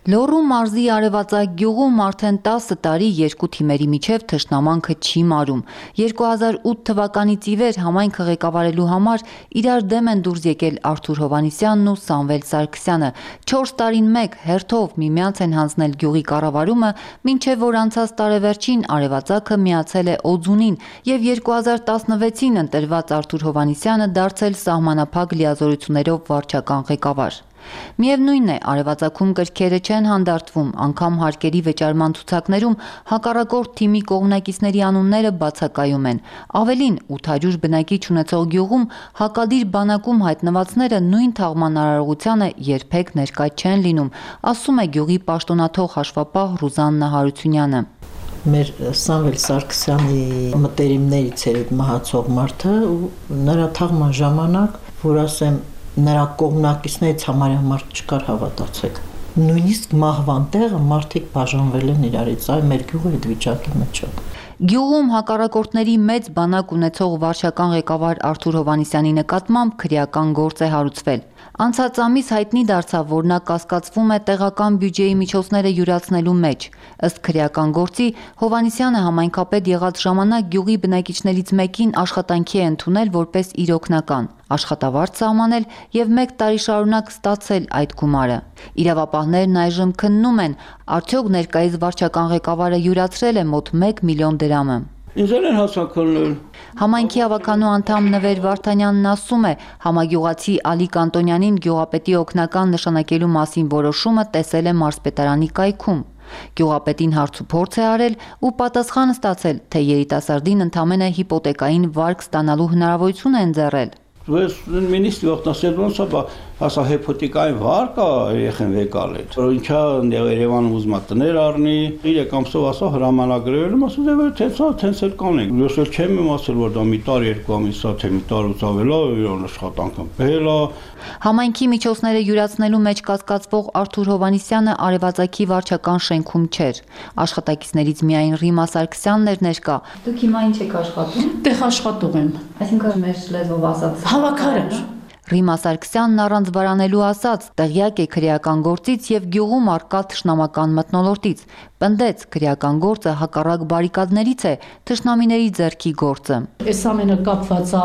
S11: Լոռու մարզի Արևածագ գյուղում արդեն 10 տարի երկու թիմերի միջև թշնամանքը չի մարում։ 2008 թվականից ի վեր համայնքը ղեկավարելու համար իրար դեմ են դուրս եկել Արթուր Հովհաննիսյանն ու Սամվել Սարգսյանը։ 4 տարին մեկ հերթով միմյանց են հանձնել գյուղի կառավարումը, մինչև որ անցած տարեվերջին Արևածագը միացել է Օձունին եւ 2016-ին ընտրված Արթուր Հովհաննիսյանը դարձել սահմանափակ լիազորություններով վարչական ղեկավար։ Միևնույն է, Արևածագում կրքերը չեն հանդարտվում, անգամ հարկերի վճարման ցուցակներում հակառակորդ թիմի կողմնակիցների անունները բացակայում են։ Ավելին, 800 բնակիչ ունեցող գյուղում հակադիր բանակում հայտնվածները նույն թաղման արարողությանը երբեք ներկա չեն լինում, ասում է գյուղի պաշտոնաթող հաշվապահ Ռուզաննա Հարությունյանը։
S12: Մեր Սամվել Սարգսյանի մտերիմներից էր այդ մահացող մարդը ու նրա թաղման ժամանակ, որ ասեմ նրա կողմնակիցներից համարյա մարդ չկար, հավատացեք։ Նույնիսկ մահվան տեղը մարդիկ բաժանվել են իրարից, այ մեր գյուղը այդ վիճակի մեջ է։
S11: Գյուղում հակառակորդների մեծ բանակ ունեցող վարչական ղեկավար Արթուր Հովհաննիսյանի նկատմամբ քրեական գործ է հարուցվել։ Անցած ամիս հայտնի դարձավ, որ նա կասկածվում է տեղական բյուջեի միջոցները յուրացնելու մեջ։ Ըստ քրեական գործի, Հովհաննիսյանը համայնքապետ եղած ժամանակ գյուղի բնակիչներից մեկին աշխատանքի է ընդունել որպես իր օգնական, աշխատավարձ սահմանել եւ 1 տարի շարունակ ստացել այդ գումարը։ Իրավապահներն այժմ քննում են, արդյոք ներկայիս վարչական ղեկավարը յուրացրել է մոտ 1 միլիոն դրամը։
S17: Ինձ են հասակալներ։
S11: Համայնքի ավականու անդամ Նվեր Վարդանյանն ասում է, համագյուղացի Ալի Կանտոնյանին գյուղապետի օգնական նշանակելու մասին որոշումը տեսել է մարզպետարանի կայքում։ Գյուղապետին հարցուփորձ է արել ու պատասխան ստացել, թե երիտասարդին ընդամենը հիպոթեկային վարկ ստանալու հնարավորություն է ընձեռել։
S13: Ասա հեպոտիկային վար կա երեխեն վեկալ է։ Որ ինչա Երևանում ուզում է տներ առնի, 3 ամսով ասա հրամանագրել, ասում է թենց էլ կանենք։ Ես էլ չեմ իմացել որ դա մի տար 2 ամիս է, թե մի տարուց ավել է, իրան աշխատանքը բել է։
S11: Համայնքի միջոցները յուրացնելու մեջ կասկածվող Արթուր Հովհաննիսյանը արևածագի վարչական շենքում չէր։ Աշխատակիցներից միայն Ռիմա Սարգսյանն էր ներկա։
S10: Դուք հիմա ինչ եք աշխատում։
S21: Տեղ աշխատող եմ։
S10: Այսինքն մեր լեզվով ասած
S21: Հավաքարար։
S11: Ռիմա Սարգսյանն առանց վարանելու ասաց, տեղյակ է քրեական գործից եւ գյուղում արկա թշնամական մթնոլորտից։ Պնդեց, քրեական գործը հակառակ բարիկադներից է, թշնամիների ձեռքի գործը։
S21: Այս ամենը կապված է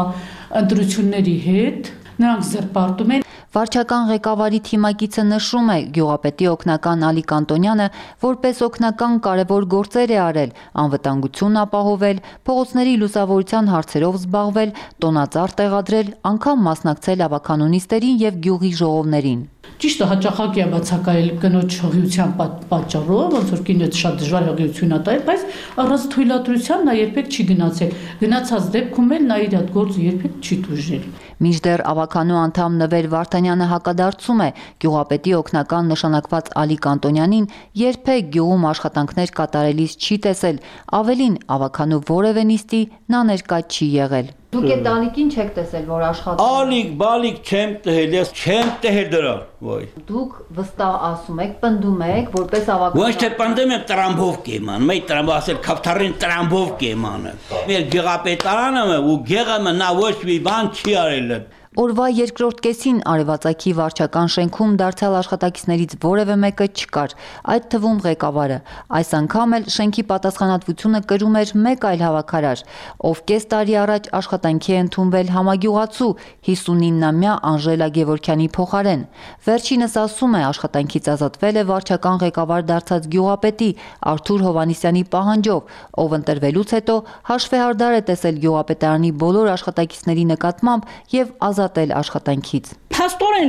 S21: ընտրությունների հետ, նրանք զրպարտում են։
S11: Վարչական ղեկավարի թիմակիցը նշում է, գյուղապետի օգնական Ալիկ Անտոնյանը որպես օգնական կարևոր գործեր է արել, անվտանգություն ապահովել, փողոցների լուսավորության հարցերով զբաղվել, տոնածառ տեղադրել, անգամ մասնակցել ավականու նիստերին եւ գյուղի ժողովներին։
S21: Ճիշտ է, հաճախակի է բացակայել կնոջ հղիության պատճառով, ոնց որ կինը շատ դժվար հղիություն է տվել, բայց առանց թույլատրության նա երբեք չի գնացել։ Գնացած դեպքում էլ նա իր այդ գործը երբեք չի տուժել։
S11: Մինչդեռ ավականու անդամ Նվեր Վարդանյանը հակադարձում է, գյուղապետի օգնական նշանակված Ալիկ Անտոնյանին երբեք գյուղում աշխատանքներ կատարելիս չի տեսել, ավելին ավականու որևէ նիստի նա ներկա չի եղել։ Դուք այդ Ալիկին չեք տեսել, որ աշխատում։
S13: Ալիկ, բալիկ չեմ տհել, ես չեմ տհել դրա, ոյ։
S11: Դուք վստահ ասում եք, պնդում եք, որպես ավականու։
S13: Ոչ թե պնդում եմ տրամբով կեման, մեկ տրամբով ասել քավթարին տրամբով կեմանը։ Մեր գյուղապետարանը ու գեղը նա ոչ մի բան չի արել։
S11: Օրվա երկրորդ կեսին արևածագի վարչական շենքում դարձյալ աշխատակիցներից որևէ մեկը չկար, այդ թվում ղեկավարը։ Այս անգամ էլ շենքի պատասխանատվությունը կրում էր մեկ այլ հավաքարար, ով կես տարի առաջ աշխատանքի է ընդունվել համագյուղացու 59-ամյա Անժելա Գևորգյանի փոխարեն։ Վերջինս ասում է, աշխատանքից ազատվել է վարչական ղեկավար դարձած գյուղապետի Արթուր Հովհաննիսյանի պահանջով, ով ընտրվելուց հետո հաշվեհարդար է տեսել գյուղապետարանի բոլոր աշխատակիցների նկատմամբ եւ ազատել աշխատանքից։
S14: Փաստորեն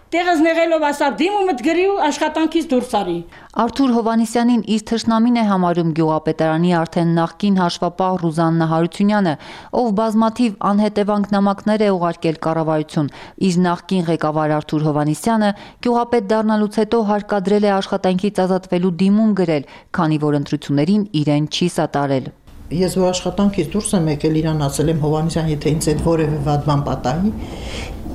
S14: տեղս նեղելով ասա դիմումդ գրի ու աշխատանքից դուրս արի։
S11: Արթուր Հովհաննիսյանին իր թշնամին է համարում գյուղապետարանի արդեն նախկին հաշվապահ Ռուզաննա Հարությունյանը, ով բազմաթիվ անհետևանք նամակներ է ուղարկել կառավարություն։ Իր նախկին ղեկավար Արթուր Հովհաննիսյանը գյուղապետ դառնալուց հետո հարկադրել է աշխատանքից ազատվելու դիմում գրել, քանի որ ընտրություններին իրեն չի սատարել։
S12: Ես որ աշխատանքից դուրս եմ եկել, իրան ասել եմ Հովհաննիսյան, եթե ինձ այդ որևէ վատ բան պատահի,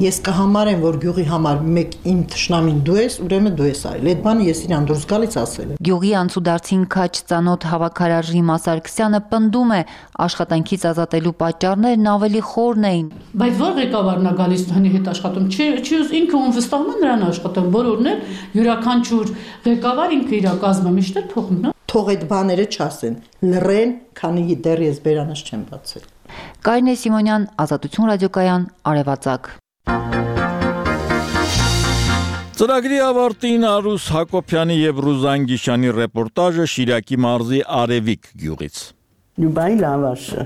S12: ես կհամարեմ, որ գյուղի համար մեկ իմ թշնամին դու ես, ուրեմն դու ես արել։ Այդ բանը ես իրան դուրս գալից ասել եմ։
S11: Գյուղի անցուդարձին քաչ ծանոթ հավաքարար Ռիմա Սարգսյանը պնդում է, աշխատանքից ազատելու պատճառներն ավելի խորն էին։
S21: Բայց որ ղեկավարն է գալիս հնի հետ աշխատում, չի ինքը ում վստահում է նրան աշխատում, բոլորն էլ յուրաքանչյուր ղեկավար ինքը իր կազմը միշտ է թողնում։
S12: Թող այդ բաները չասեն, լռեն, քանի դեռ ես բերանս չեմ բացել։
S11: Կարինե Սիմոնյան, Ազատություն ռադիոկայան, Արևածագ։
S1: Ծրագրի ավարտին Արուս Հակոբյանի եւ Ռուզան Գիշյանի ռեպորտաժը Շիրակի մարզի Արևիկ գյուղից։
S15: Լյուբայի լավաշը,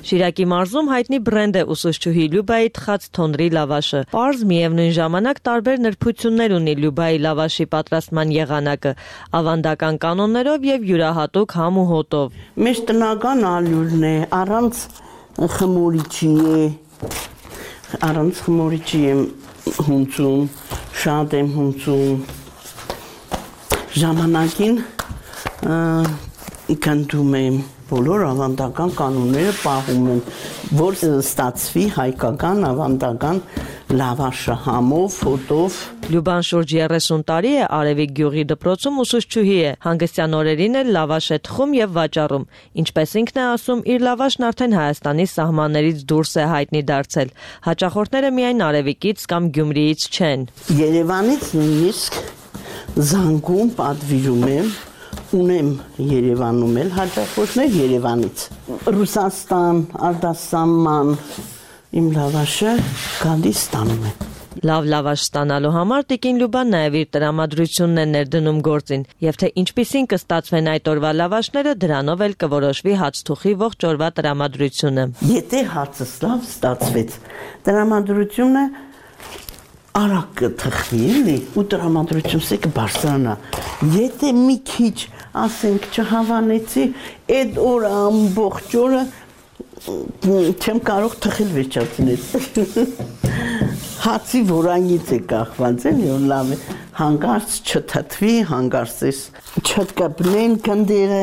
S24: Շիրակի մարզում հայտնի բրենդ է ուսուցչուհի Լյուբայի թխած թոնրի լավաշը։ Պարզ միևնույն ժամանակ տարբեր նրբություններ ունի Լյուբայի լավաշի պատրաստման եղանակը, ավանդական կանոններով եւ յուրահատուկ համ ու հոտով։
S15: Մեր տնական ալյուրն է, առանց խմորիչի եմ հունցում, շատ եմ հունցում, ժամանակին կնդում եմ, բոլոր ավանդական կանոնները պահում են, որ ստացվի հայկական ավանդական լավաշը համով, հոտով։
S24: Լյուբան շուրջ 30 տարի է Արևիկ գյուղի դպրոցում ուսուցչուհի է, հանգստյան օրերին էլ լավաշ է թխում եւ վաճառում։ Ինչպես ինքն է ասում, իր լավաշն արդեն Հայաստանի սահմաններից դուրս է հայտնի դարձել։ Հաճախորդները միայն Արևիկից կամ Գյումրիից չեն։
S15: Երևանից նույնիսկ զանգում պատվիրում եմ, ունեմ Երևանում էլ հաճախորդներ Երևանից։ Ռուսաստան, արտասահման իմ լավաշը գալիս ստանում եմ։
S24: Լավ լավաշ ստանալու համար տիկին Լյուբան նաև իր տրամադրությունն է ներդնում գործին, եւ թե ինչպիսին կստացվեն այդ օրվա լավաշները, դրանով էլ կորոշվի հացթուխի ողջ օրվա տրամադրությունը։
S15: Եթե հացս լավ ստացվեց, տրամադրությունը արագ կթխվի, էլի, ու տրամադրությունս կբարձրանա։ Եթե մի քիչ, ասենք, չհավանեցի, այդ օրը ամբողջ օրը չեմ կարող թխել վերջացնել։ հացի որանգից է կախված, էլի որ լավ է, հանգարց չթթվի, հանգարցես չտկպնեն կնդերը։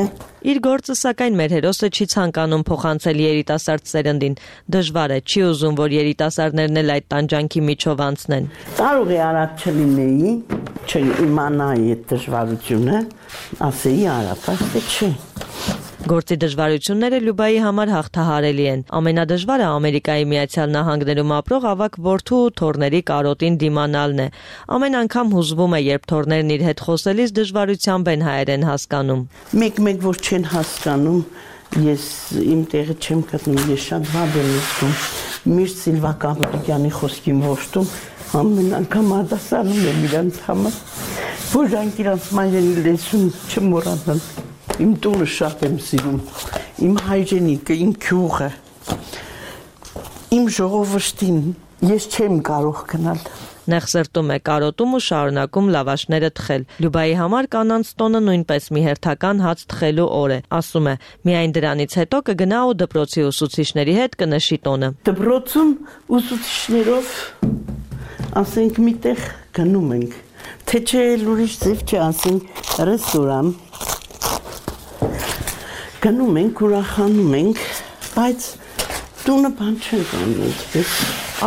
S24: Իր գործը սակայն մեր հերոսը չի ցանկանում փոխանցել երիտասարդ սերնդին։ Դժվար է, չի ուզում, որ երիտասարդներն էլ այդ տանջանքի միջով անցնեն։
S15: Կարող է արած չլինեի, չիմանայի այդ դժվարությունը, ասեի արա, բայց չէ։
S24: Գործի դժվարությունները Լյուբայի համար հաղթահարելի են։ Ամենադժվարը Ամերիկայի Միացյալ Նահանգներում ապրող ավագ որդու ու թոռների կարոտին դիմանալն է։ Ամեն անգամ հուզվում է, երբ թոռներն իր հետ խոսելիս դժվարությամբ են հայերեն հասկանում։
S15: Մեկ որ չեն հասկանում, ես իմ տեղը չեմ գտնում, ես շատ վատ եմ զգում։ Միշտ Սիլվա Կապիտյանի խոսքին ողջում, ամեն անգամ արտասանում եմ իրանց համար, որ նրանք իրանց մայրենի լեզուն չմոռանան։ Իմ տունը շատ եմ սիրում, իմ հայրենիքը, իմ գյուղը, իմ ժողովրդին, ես չեմ կարող գնալ։
S24: Նեղ սրտում է կարոտում ու շարունակում լավաշները թխել։ Լյուբայի համար կանանց տոնը նույնպես մի հերթական հաց թխելու օր է։ Ասում է, միայն դրանից հետո կգնա ու դպրոցի ուսուցիչների հետ կնշի տոնը։
S15: Դպրոցում ուսուցիչներով ասենք միտեղ գնում ենք, թե չէ ուրիշ ձև չէ, ասենք ռեստորան գնում ենք, ուրախանում ենք, բայց տունը բան չենք անում։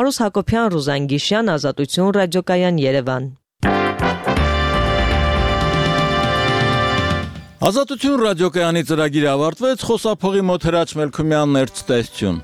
S24: Արուս Հակոբյան, Ռուզան Գիշյան, Ազատություն ռադիոկայան, Երևան։
S1: Ազատություն ռադիոկայանի ծրագիրը ավարտվեց, խոսափողի մոտ Հրաչ Մելքումյանն էր ցտեսություն։